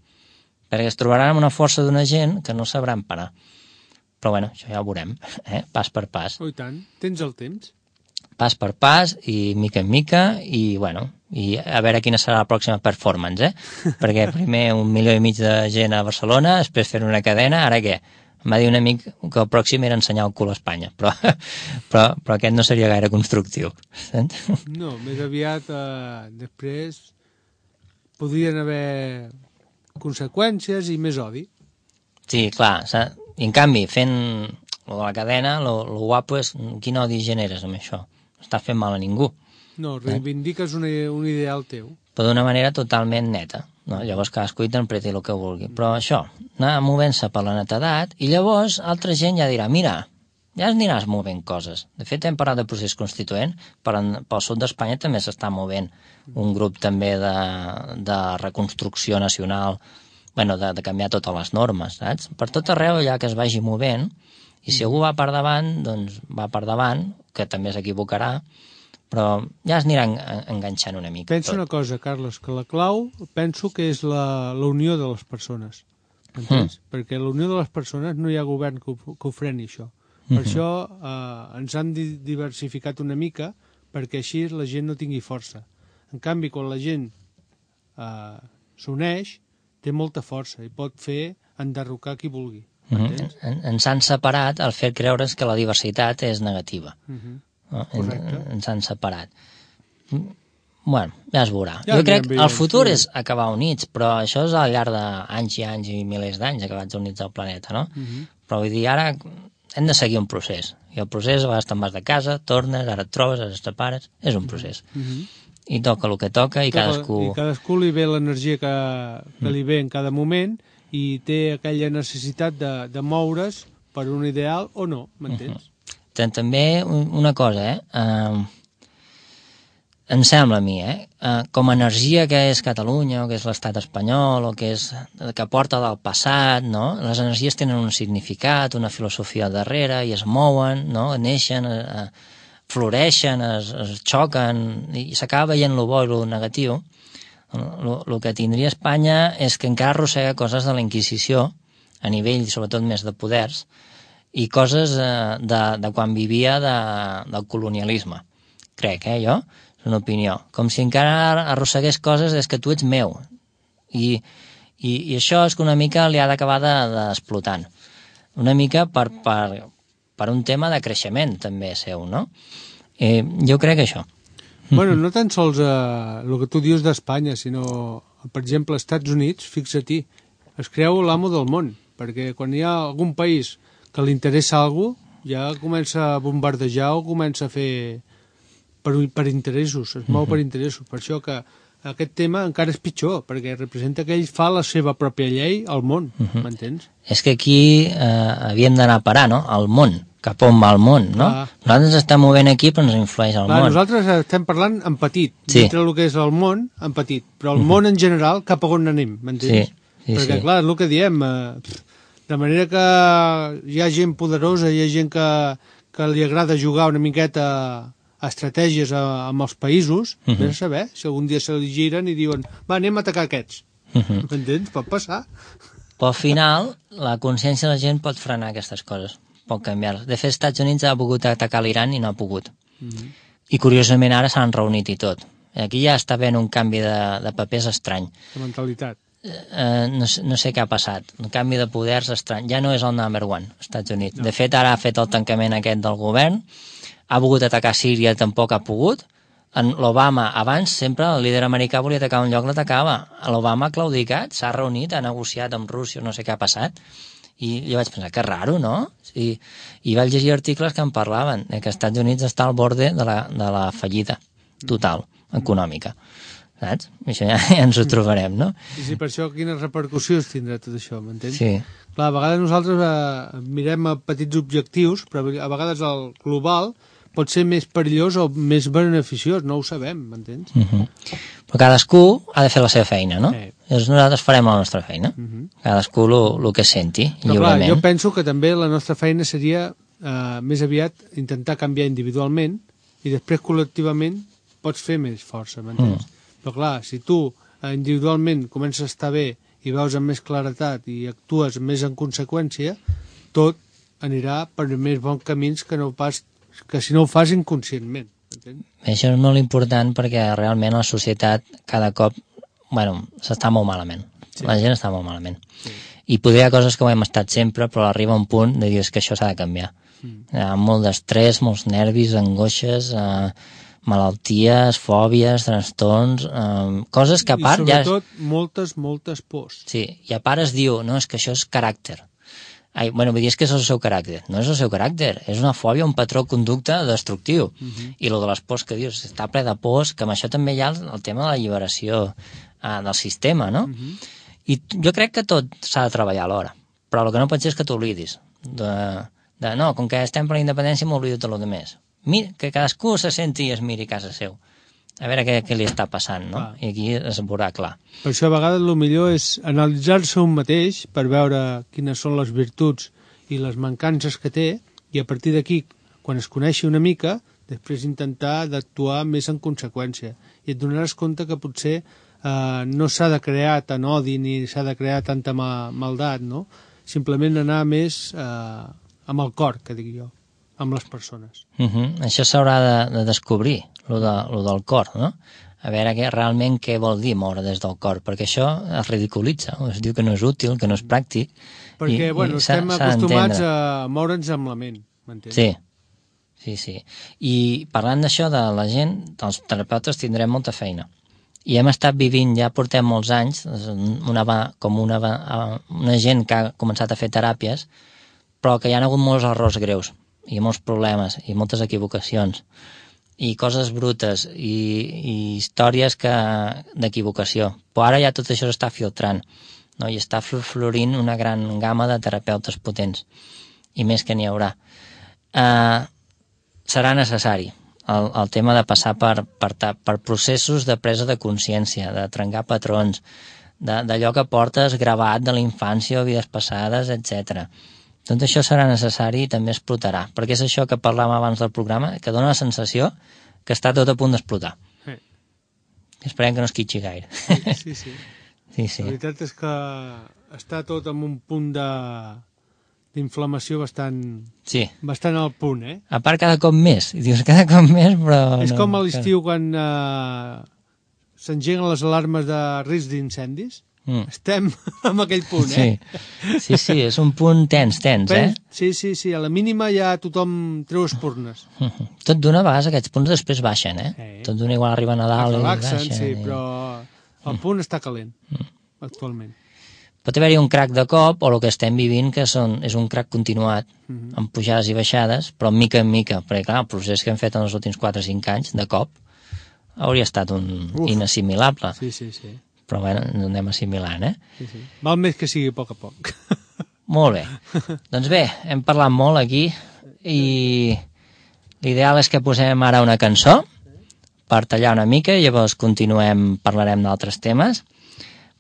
perquè es trobaran amb una força d'una gent que no sabran parar. Però bueno, això ja ho veurem, pas per pas. Oh, i tant, tens el temps. Pas per pas i mica en mica i bueno, i a veure quina serà la pròxima performance, perquè primer 1,5 milió de gent a Barcelona, després fer una cadena, ara què? Em va dir un amic que el pròxim era ensenyar el cul a Espanya, però aquest no seria gaire constructiu. No, més aviat després podrien haver conseqüències i més odi. Sí, clar, i en canvi, fent la cadena, lo guapo és quin odi generes amb això. No estàs fent mal a ningú. No, reivindiques un ideal teu. Però d'una manera totalment neta. No? Llavors cadascú interpreti el que vulgui. Però això, anar movent-se per la netedat, i llavors altra gent ja dirà, mira, ja aniràs movent coses. De fet, hem parlat de procés constituent, pel sud d'Espanya també s'està movent un grup també de reconstrucció nacional, bueno, de canviar totes les normes, saps? Per tot arreu allà que es vagi movent, i si algú va per davant, doncs va per davant, que també s'equivocarà, però ja es aniran enganxant una mica. Penso una cosa, Carles, que la clau penso que és la unió de les persones, entens? Perquè la unió de les persones no hi ha govern que ho freni, això. Per això ens han diversificat una mica perquè així la gent no tingui força. En canvi, quan la gent s'uneix, té molta força i pot fer enderrocar qui vulgui. Ens han separat el fet creure's que la diversitat és negativa. Ens han separat. Bueno, ja es veurà. Jo crec que el futur és acabar units, però això és al llarg d'anys i anys i milers d'anys acabats units al planeta, no? Però vull dir, ara hem de seguir un procés. I el procés, a vegades te'n vas de casa, tornes, ara et trobes, ara et separes, és un procés. i toca el que toca i cadascú... I cadascú li ve l'energia que li ve en cada moment i té aquella necessitat de moure's per un ideal o no, m'entens? També una cosa, em sembla a mi, com a energia que és Catalunya o que és l'estat espanyol o que porta del passat, no? Les energies tenen un significat, una filosofia al darrere i es mouen, no? Neixen, floreixen, es xoquen i s'acaba veient el bo i el negatiu. El que tindria Espanya és que encara arrossega coses de la Inquisició a nivell, sobretot, més de poders i coses de quan vivia del colonialisme. Crec, jo? Una opinió, com si encara arrossegués coses des que tu ets meu i això és que una mica li ha d'acabar d'explotant una mica per un tema de creixement també seu, no? Jo crec que això. Bueno, no tan sols el que tu dius d'Espanya, sinó, per exemple, als Estats Units, fixa-t'hi, es creu l'amo del món, perquè quan hi ha algun país que li interessa alguna cosa, ja comença a bombardejar o comença a fer per interessos, es mou per interessos. Per això que aquest tema encara és pitjor, perquè representa que ell fa la seva pròpia llei al món, m'entens? És que aquí havíem d'anar a parar, no?, al món, cap on va el món, no? Nosaltres ens estem movent aquí però ens influeix el món. Nosaltres estem parlant en petit, dintre el que és el món, en petit, però el món en general cap a on anem, m'entens? Perquè clar, és el que diem, de manera que hi ha gent poderosa, hi ha gent que li agrada jugar una miqueta estratègies amb els països, vés a saber, si algun dia se li giren i diuen, va, anem a atacar aquests. M'entens? Pot passar. Però al final, la consciència de la gent pot frenar aquestes coses, pot canviar-les. De fet, als Estats Units ha volgut atacar l'Iran i no ha pogut. I curiosament ara s'han reunit i tot. Aquí ja està havent un canvi de papers estrany. De mentalitat. No sé què ha passat. Un canvi de poders estrany. Ja no és el number one, als Estats Units. De fet, ara ha fet el tancament aquest del govern, ha volgut atacar Síria, tampoc ha pogut. L'Obama, abans, sempre el líder americà volia atacar un lloc, l'atacava. L'Obama ha claudicat, s'ha reunit, ha negociat amb Rússia, no sé què ha passat. I jo vaig pensar, que raro, no? I vaig llegir articles que en parlaven, que als Estats Units està al borde de la fallida total, econòmica. Saps? Això ja ens ho trobarem, no? I sí, per això quines repercussions tindrà tot això, m'entens? Sí. Clar, a vegades nosaltres mirem a petits objectius, però a vegades el global pot ser més perillós o més beneficiós, no ho sabem, m'entens? Però cadascú ha de fer la seva feina, no? Nosaltres farem la nostra feina, cadascú el que senti, lliurement. Clar, jo penso que també la nostra feina seria més aviat intentar canviar individualment i després col·lectivament pots fer més força, m'entens? Però clar, si tu individualment comences a estar bé i veus amb més claretat i actues més en conseqüència, tot anirà per més bons camins que si no ho fas inconscientment. Això és molt important perquè realment la societat cada cop, s'està molt malament. La gent està molt malament. I potser hi ha coses que ho hem estat sempre, però arriba un punt de dir que això s'ha de canviar. Hi ha molt d'estrès, molts nervis, angoixes, malalties, fòbies, trastorns, coses que a part ja... I sobretot moltes pors. Sí, i a part es diu, no, és que això és caràcter. Vull dir, és que és el seu caràcter. No és el seu caràcter, és una fòbia, un patró de conducta destructiu. I el de les pors que dius, està ple de pors, que amb això també hi ha el tema de la alliberació del sistema, no? I jo crec que tot s'ha de treballar alhora, però el que no pot ser és que t'oblidis. No, com que estem per la independència m'oblido tot el que més. Que cadascú se senti i es miri a casa seu. A veure què li està passant, no? I aquí es veurà clar. Per això a vegades el millor és analitzar-se un mateix per veure quines són les virtuts i les mancances que té i a partir d'aquí, quan es coneixi una mica, després intentar d'actuar més en conseqüència. I et donaràs compte que potser no s'ha de crear tant odi ni s'ha de crear tanta maldat, no? Simplement anar més amb el cor, que dic jo, amb les persones. Això s'haurà de descobrir, lo del cor, no? A veure realment què vol dir moure des del cor, perquè això es ridiculitza, es diu que no és útil, que no és pràctic. Perquè, estem acostumats a moure'ns amb la ment, m'entens? Sí. I parlant d'això de la gent, els terapeutes tindrem molta feina. I hem estat vivint, ja portem molts anys, una gent que ha començat a fer teràpies, però que hi ha hagut molts errors greus, i molts problemes, i moltes equivocacions. i coses brutes i històries d'equivocació. Però ara ja tot això s'està filtrant, no? I està florint una gran gamma de terapeutes potents, i més que n'hi haurà. Serà necessari el tema de passar per processos de presa de consciència, de trencar patrons, d'allò que portes gravat de la infància o vides passades, etc. Tot això serà necessari i també explotarà, perquè és això que parlàvem abans del programa, que dona la sensació que està tot a punt d'explotar. Sí. Esperem que no es quitxi gaire. Sí. Sí. La veritat és que està tot en un punt d'inflamació bastant al punt, A part, cada cop més. I dius, cada cop més, però... És com a l'estiu quan s'engeguen les alarmes de risc d'incendis. Estem en aquell punt, Sí, és un punt tens, Sí, a la mínima ja tothom treu espurnes. Tot d'una vegada aquests punts després baixen, Tot d'una igual arriba a Nadal i relaxen, baixen. Sí, però el punt està calent, actualment. Pot haver-hi un crac de cop, o el que estem vivint, que és un crac continuat, amb pujades i baixades, però mica en mica, perquè clar, el procés que hem fet en els últims 4 o 5 anys, de cop, hauria estat inassimilable. Sí. Però bueno, anem assimilant, Sí. Val més que sigui a poc a poc. Molt bé. Doncs bé, hem parlat molt aquí i l'ideal és que posem ara una cançó per tallar una mica i llavors parlarem d'altres temes.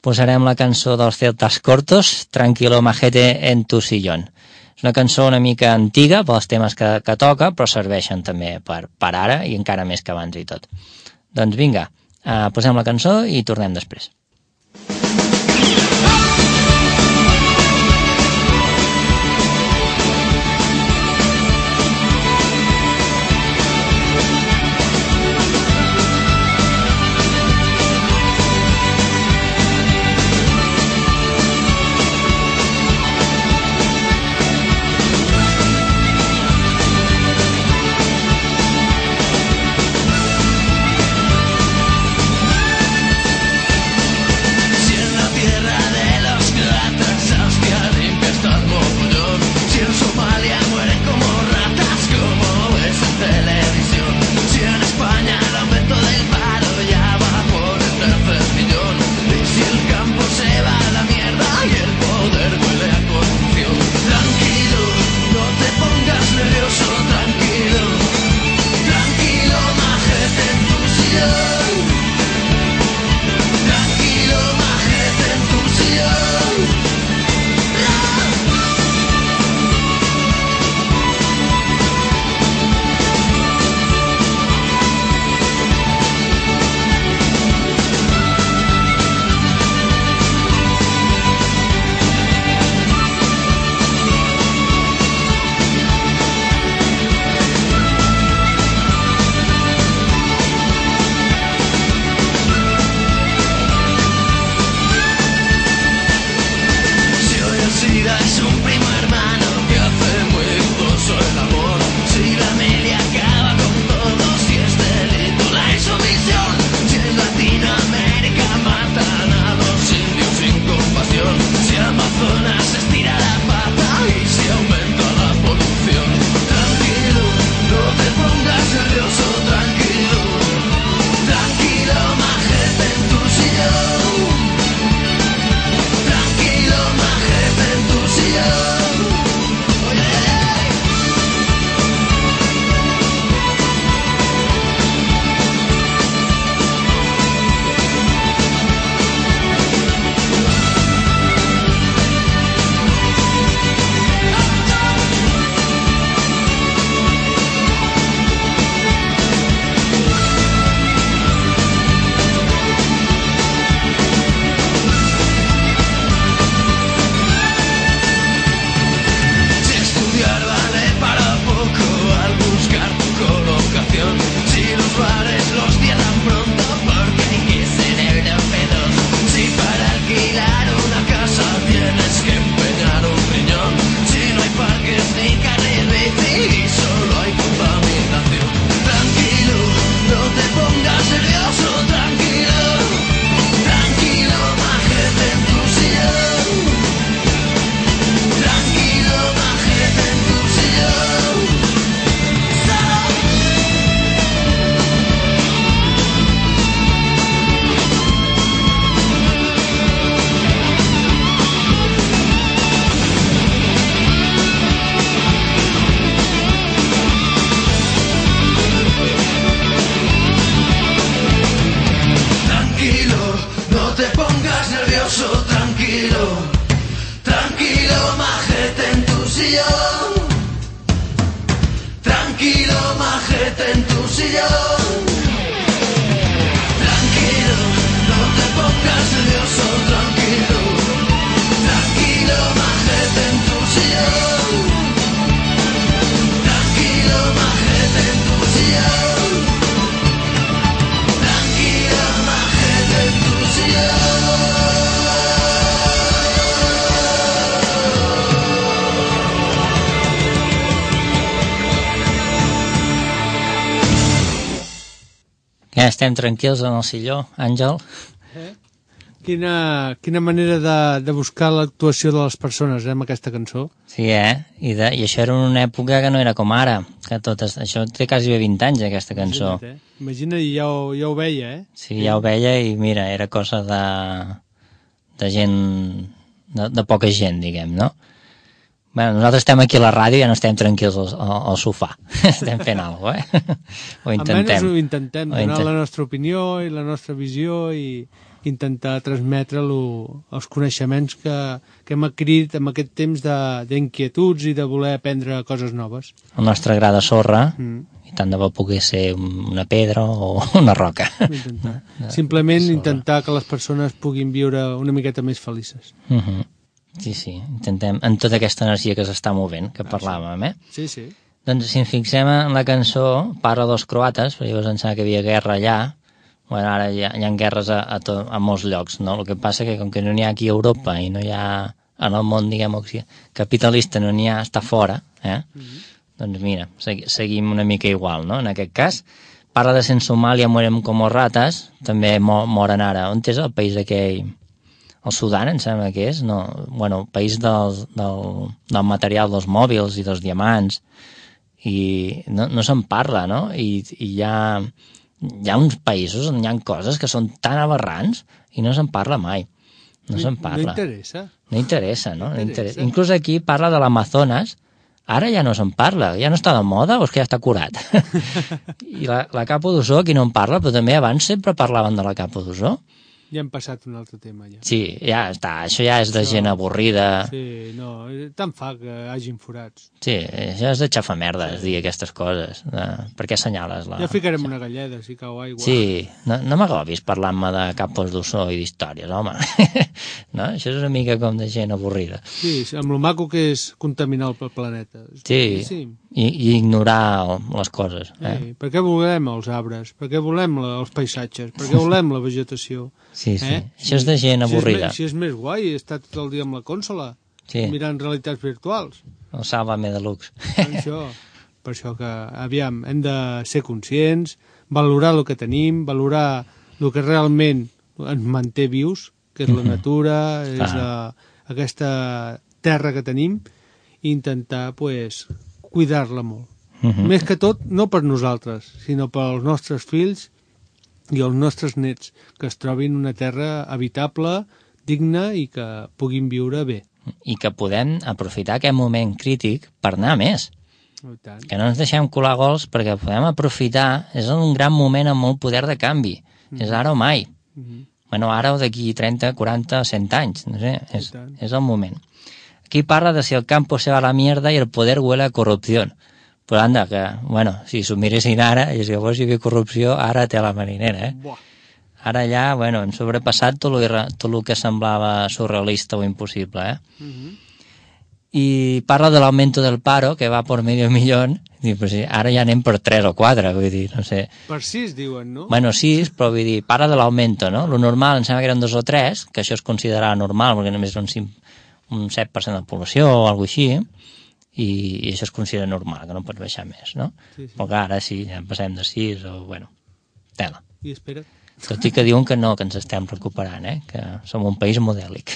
Posarem la cançó dels Celtas Cortos, Tranquilo Majete en tu sillón. És una cançó una mica antiga pels temes que toca, però serveixen també per ara i encara més que abans i tot. Doncs vinga, posem la cançó i tornem després. Si en la tierra de los majete en tu sillón. Tranquilo, no te pongas nervioso, tranquilo. Tranquilo, majete en tu sillón. Tranquilo, majete en tu sillón. Tranquilo, majete en tu sillón. Ja estem tranquils en el silló, Àngel? Quina manera de buscar l'actuació de les persones, amb aquesta cançó. Sí, I això era en una època que no era com ara, que totes, això té quasi 20 anys, aquesta cançó. Imagina't, ja ho veia, Sí, ja ho veia i mira, era cosa de gent, de poca gent, diguem, no? Bueno, nosaltres estem aquí a la ràdio i ja no estem tranquils al sofà. Estem fent alguna cosa, Ho intentem. Almenys ho intentem, donar la nostra opinió i la nostra visió i intentar transmetre els coneixements que hem adquirit en aquest temps d'inquietuds i de voler aprendre coses noves. El nostre gra de sorra, i tant de bo pogués ser una pedra o una roca. Simplement intentar que les persones puguin viure una miqueta més felices. Sí, intentem, en tota aquesta energia que s'està movent, que parlàvem, Sí. Doncs si ens fixem en la cançó, parla dels croates, perquè llavors em sembla que hi havia guerra allà, bueno, ara hi ha guerres a molts llocs, no? El que passa que com que no n'hi ha aquí a Europa i no hi ha en el món, diguem, capitalista, no n'hi ha, està fora, doncs mira, seguim una mica igual, no? En aquest cas, parla de en Somàlia morem com rates, també moren ara. On és el país aquell? El Sudan, em sembla que és, no? Bueno, el país del material dels mòbils i dels diamants, i no se'n parla, no? I hi ha uns països on hi ha coses que són tan aberrants i no se'n parla mai. No se'n parla. No interessa, no? Inclús aquí parla de l'Amazones, ara ja no se'n parla, ja no està de moda o és que ja està curat? I la capa d'ozó, aquí no en parla, però també abans sempre parlaven de la capa d'ozó. Ja hem passat un altre tema, ja. Sí, ja està, això ja és de gent avorrida. Sí, no, tant fa que hagin forats. Sí, això és de xafamerdes, dir aquestes coses. Per què assenyales la... Ja ficarem una galleda, si cau aigua. Sí, no m'agobis parlant-me de capos d'ossó i d'històries, home. No? Això és una mica com de gent avorrida. Sí, amb lo maco que és contaminar el planeta. Sí, i ignorar les coses. Per què volem els arbres? Per què volem els paisatges? Per què volem la vegetació? Sí. Això és de gent avorrida. Si és més guai estar tot el dia amb la consola, mirant realitats virtuals. El Sálvame Deluxe. Per això que, aviam, hem de ser conscients, valorar el que tenim, valorar el que realment ens manté vius, que és la natura, és aquesta terra que tenim, i intentar, cuidar-la molt. Més que tot, no per nosaltres, sinó pels nostres fills i els nostres nets, que es trobin una terra habitable, digna i que puguin viure bé. I que podem aprofitar aquest moment crític per anar a més. Que no ens deixem colar gols perquè podem aprofitar, és un gran moment amb molt poder de canvi. És ara o mai. Bueno, ara o d'aquí 30, 40, 100 anys, no sé, és el moment. Aquí parla de si el campo se va a la mierda i el poder huele a corrupció. Però anda, que, bueno, si s'ho miressin ara, i si llavors hi havia corrupció, ara té la marinera, Ara ja, bueno, hem sobrepassat tot el que semblava surrealista o impossible, I parla de l'augmento del paro, que va per medio millón, i pues, ara ja anem per 3 o 4, vull dir, no sé. Per 6, diuen, no? Bueno, 6, però vull dir, parla de l'augmento, no? Lo normal, em sembla que eren 2 o 3, que això es considerava normal, perquè només era un 7% de població o alguna així, i això es considera normal, que no pots baixar més, no? Però que ara sí, ja passem de 6 o, bueno, tela. I espera. Tot i que diuen que no, que ens estem recuperant, que som un país modèlic.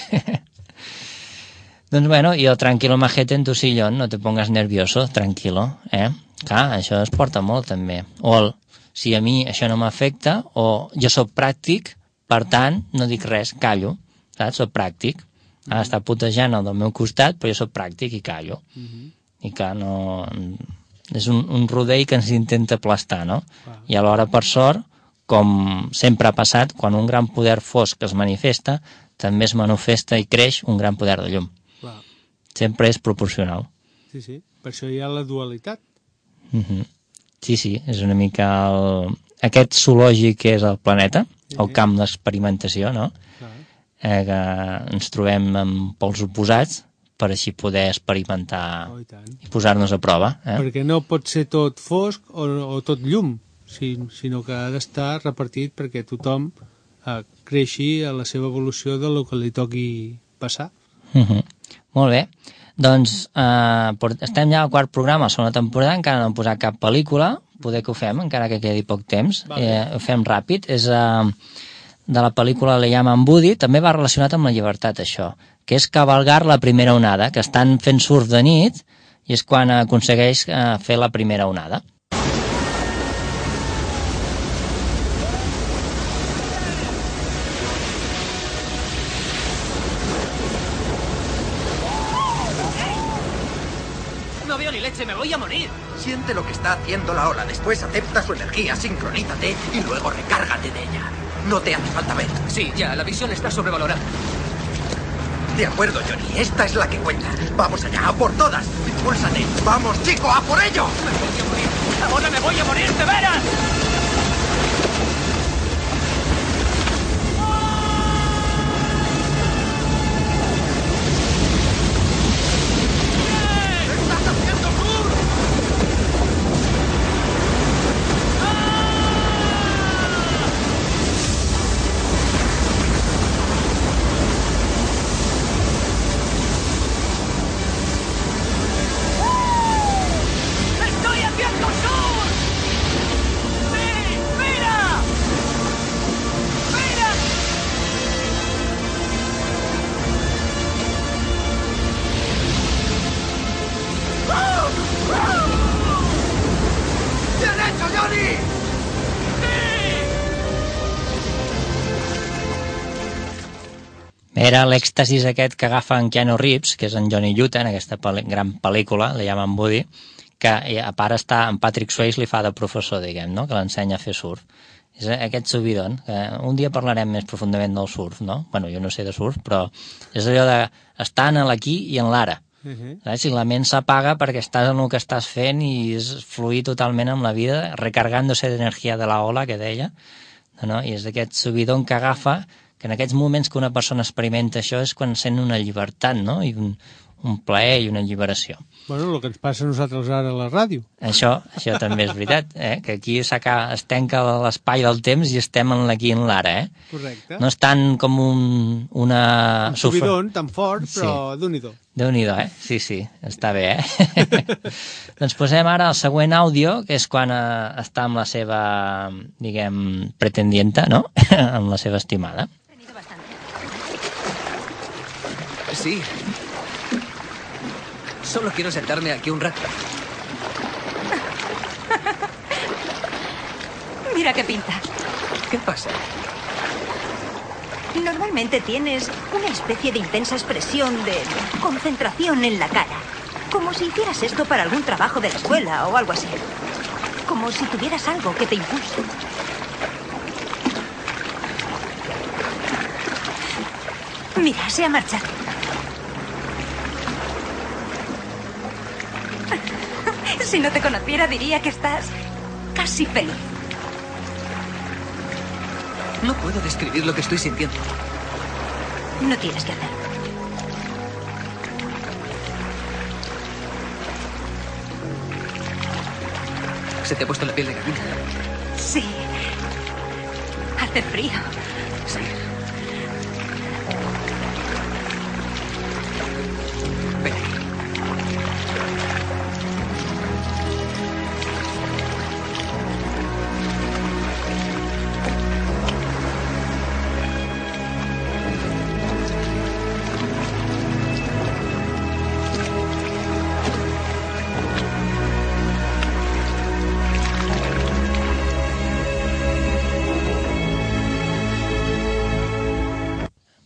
Doncs bueno, i el tranquilo majete en tu sillón, no te pongas nervioso, tranquilo, Clar, això es porta molt també. O si a mi això no m'afecta, o jo sóc pràctic, per tant, no dic res, callo, saps? Soc pràctic. Ara està putejant el del meu costat, però jo sóc pràctic i callo. I clar, no... És un rodell que ens intenta aplastar, no? I alhora, per sort, com sempre ha passat, quan un gran poder fosc es manifesta, també es manifesta i creix un gran poder de llum. Sempre és proporcional. Sí, per això hi ha la dualitat. Sí, és una mica aquest zoològic que és el planeta, el camp d'experimentació, no? Que ens trobem amb pols oposats per així poder experimentar i posar-nos a prova. Perquè no pot ser tot fosc o tot llum, sinó que ha d'estar repartit perquè tothom creixi a la seva evolució del que li toqui passar. Molt bé. Doncs estem ja al quart programa, la segona temporada, encara no hem posat cap pel·lícula, poder que ho fem, encara que quedi poc temps. Ho fem ràpid. És de la pel·lícula Le llaman Woody, també va relacionat amb la llibertat, això, que és cavalgar la primera onada, que estan fent surf de nit i és quan aconsegueix fer la primera onada. No veo ni leche, me voy a morir. Siente lo que está haciendo la ola, después acepta su energía, sincronízate y luego recárgate de ella. No te hace falta ver. Sí, ya, la visión está sobrevalorada. De acuerdo, Johnny, esta es la que cuenta. Vamos allá, a por todas. Impúlsate. Vamos, chico, a por ello. Me voy a morir. Ahora me voy a morir, ¿te verás? Era l'èxtasis aquest que agafa en Keanu Reeves, que és en Johnny Utah, en aquesta gran pel·lícula, Le llaman Woody, que a part està en Patrick Swayze, li fa de professor, diguem, no? Que l'ensenya a fer surf. És aquest subidon, que un dia parlarem més profundament del surf, no? Bueno, jo no sé de surf, però és allò d'estar en l'aquí i en l'ara. Si la ment s'apaga perquè estàs en el que estàs fent i és fluir totalment amb la vida, recargándose d'energia de la ola, que deia, no? I és aquest subidon que agafa, que en aquests moments que una persona experimenta això és quan sent una llibertat, no? I un plaer i una alliberació. Bueno, el que ens passa a nosaltres ara a la ràdio. Això també és veritat, que aquí es tanca l'espai del temps i estem en l'aquí i en l'ara, Correcte. No és tant com un subidon tan fort, però Déu-n'hi-do. Déu-n'hi-do, Sí, està bé, Doncs posem ara el següent àudio, que és quan està amb la seva, diguem, pretendienta, no? Amb la seva estimada. Sí. Solo quiero sentarme aquí un rato. Mira qué pinta. ¿Qué pasa? Normalmente tienes una especie de intensa expresión de concentración en la cara. Como si hicieras esto para algún trabajo de la escuela o algo así. Como si tuvieras algo que te impulse. Mira, se ha marchado. Si no te conociera diría que estás casi feliz. No puedo describir lo que estoy sintiendo. No tienes que hacerlo. ¿Se te ha puesto la piel de gallina? Sí. Hace frío. Sí. Ven aquí.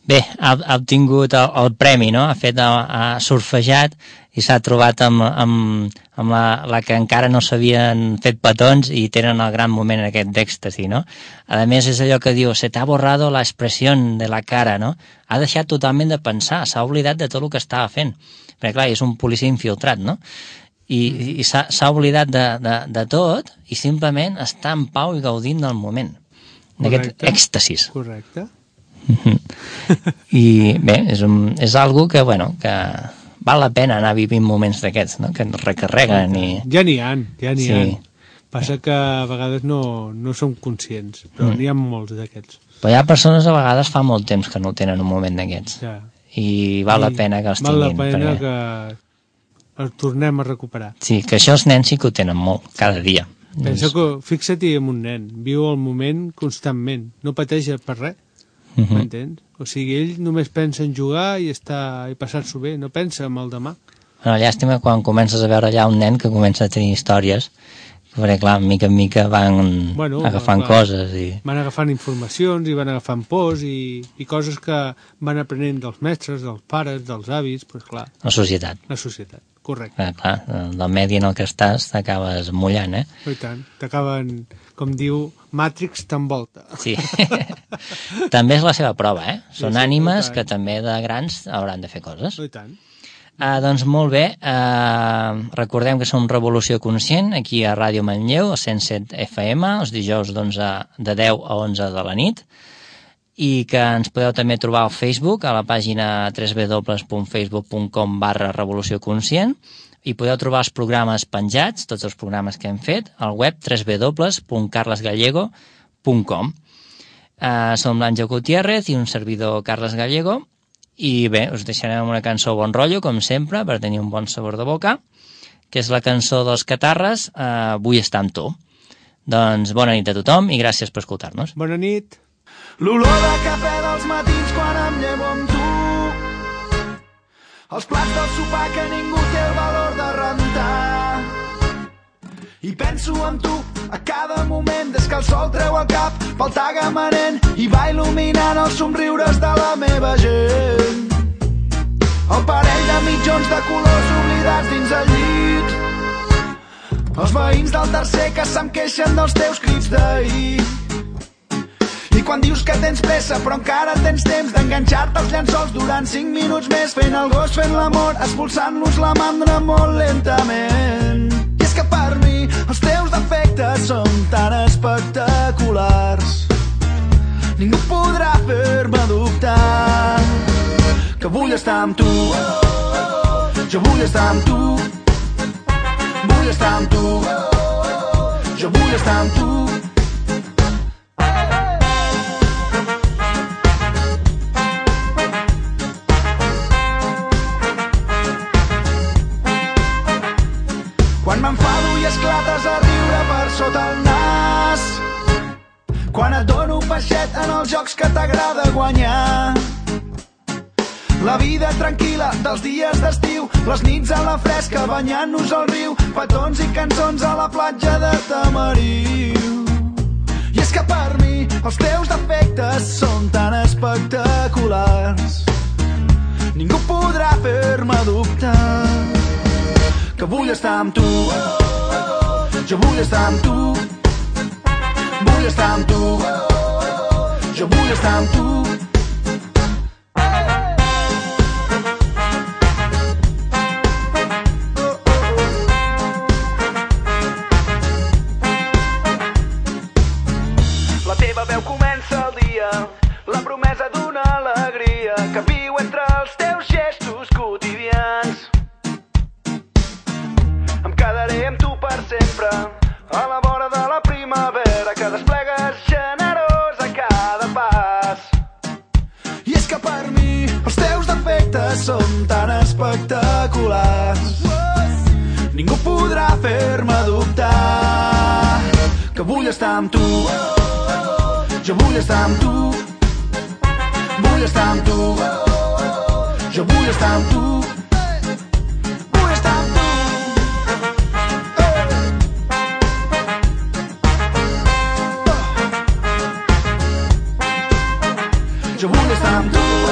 Bé, ha obtingut el premi, no? Ha surfejat i s'ha trobat amb la que encara no s'havien fet petons i tenen el gran moment aquest d'èxtasi, no? A més, és allò que diu, se te ha borrado la expresión de la cara, no? Ha deixat totalment de pensar, s'ha oblidat de tot el que estava fent. Perquè, clar, és un policia infiltrat, no? i s'ha oblidat de tot i simplement està en pau i gaudint del moment, d'aquest èxtasis. Correcte. I bé, és algo que, bueno, que val la pena anar vivint moments d'aquests, no? Que ens recarreguen i... Ja n'hi ha. Passa que a vegades no som conscients, però n'hi ha molts d'aquests. Però hi ha persones a vegades fa molt temps que no tenen un moment d'aquests. Ja. I val la pena que els tinguin. Val la pena que els tornem a recuperar. Sí, que això els nens sí que ho tenen molt, cada dia. Pensa que, fixa't-hi en un nen, viu el moment constantment, no pateix per res. M'entens? O sigui, ell només pensa en jugar i passar-s'ho bé, no pensa en el demà. Bueno, llàstima quan comences a veure allà un nen que comença a tenir històries, perquè clar, mica en mica van agafant coses i... Van agafant informacions i van agafant pors i coses que van aprenent dels mestres, dels pares, dels avis, doncs clar. La societat. La societat, correcte. Clar, del medi en el que estàs t'acabes mullant, I tant, t'acaben, com diu, Matrix t'envolta. Sí. També és la seva prova, Són ànimes que també de grans hauran de fer coses. I tant. Doncs molt bé, recordem que som Revolució Conscient, aquí a Ràdio Manlleu, a 107 FM, els dijous de 10 a 11 de la nit, i que ens podeu també trobar al Facebook, a la pàgina www.facebook.com/Revolució Conscient, i podeu trobar els programes penjats, tots els programes que hem fet, al web www.carlesgallego.com. Som l'Àngel Gutiérrez i un servidor Carles Gallego, i bé, us deixarem una cançó bon rotllo, com sempre, per tenir un bon sabor de boca, que és la cançó dels Catarres, Vull estar amb tu. Doncs bona nit a tothom i gràcies per escoltar-nos. Bona nit. L'olor de cafè dels matins quan em llevo amb tu, els plats del sopar que ningú té el valor de rentar, i penso en tu a cada moment des que el sol treu el cap pel tagamanent i va il·luminant els somriures de la meva gent. El parell de mitjons de colors oblidats dins el llit, els veïns del tercer que se'm queixen dels teus crits d'ahir. I quan dius que tens pressa però encara tens temps d'enganxar-te als llençols durant 5 minuts més, fent el gos, fent l'amor, expulsant-los la mandra molt lentament. I és que per mi els teus defectes són tan espectaculars, ningú podrà fer-me dubtar que vull estar amb tu, jo vull estar amb tu, vull estar amb tu, jo vull estar amb tu. Quan m'enfado i esclates a riure per sota el nas, quan et dono peixet en els jocs que t'agrada guanyar, la vida tranquil·la dels dies d'estiu, les nits a la fresca banyant-nos al riu, petons i cançons a la platja de Tamariu. I és que per mi els teus defectes són tan espectaculars, ningú podrà fer-me dubtar que vull estar amb tu, jo vull estar amb tu, vull estar amb tu, jo vull estar amb tu. La teva veu comença el dia, la promesa d'una alegria que viu entre els teus gestos quotidians. Quedaré amb tu per sempre, a la vora de la primavera que desplegues generós a cada pas. I és que per mi els teus defectes són tan espectaculars, ningú podrà fer-me dubtar que vull estar amb tu, jo vull estar amb tu, vull estar amb tu, jo vull estar amb tu, vull estar amb tu. Jo vull estar amb tu.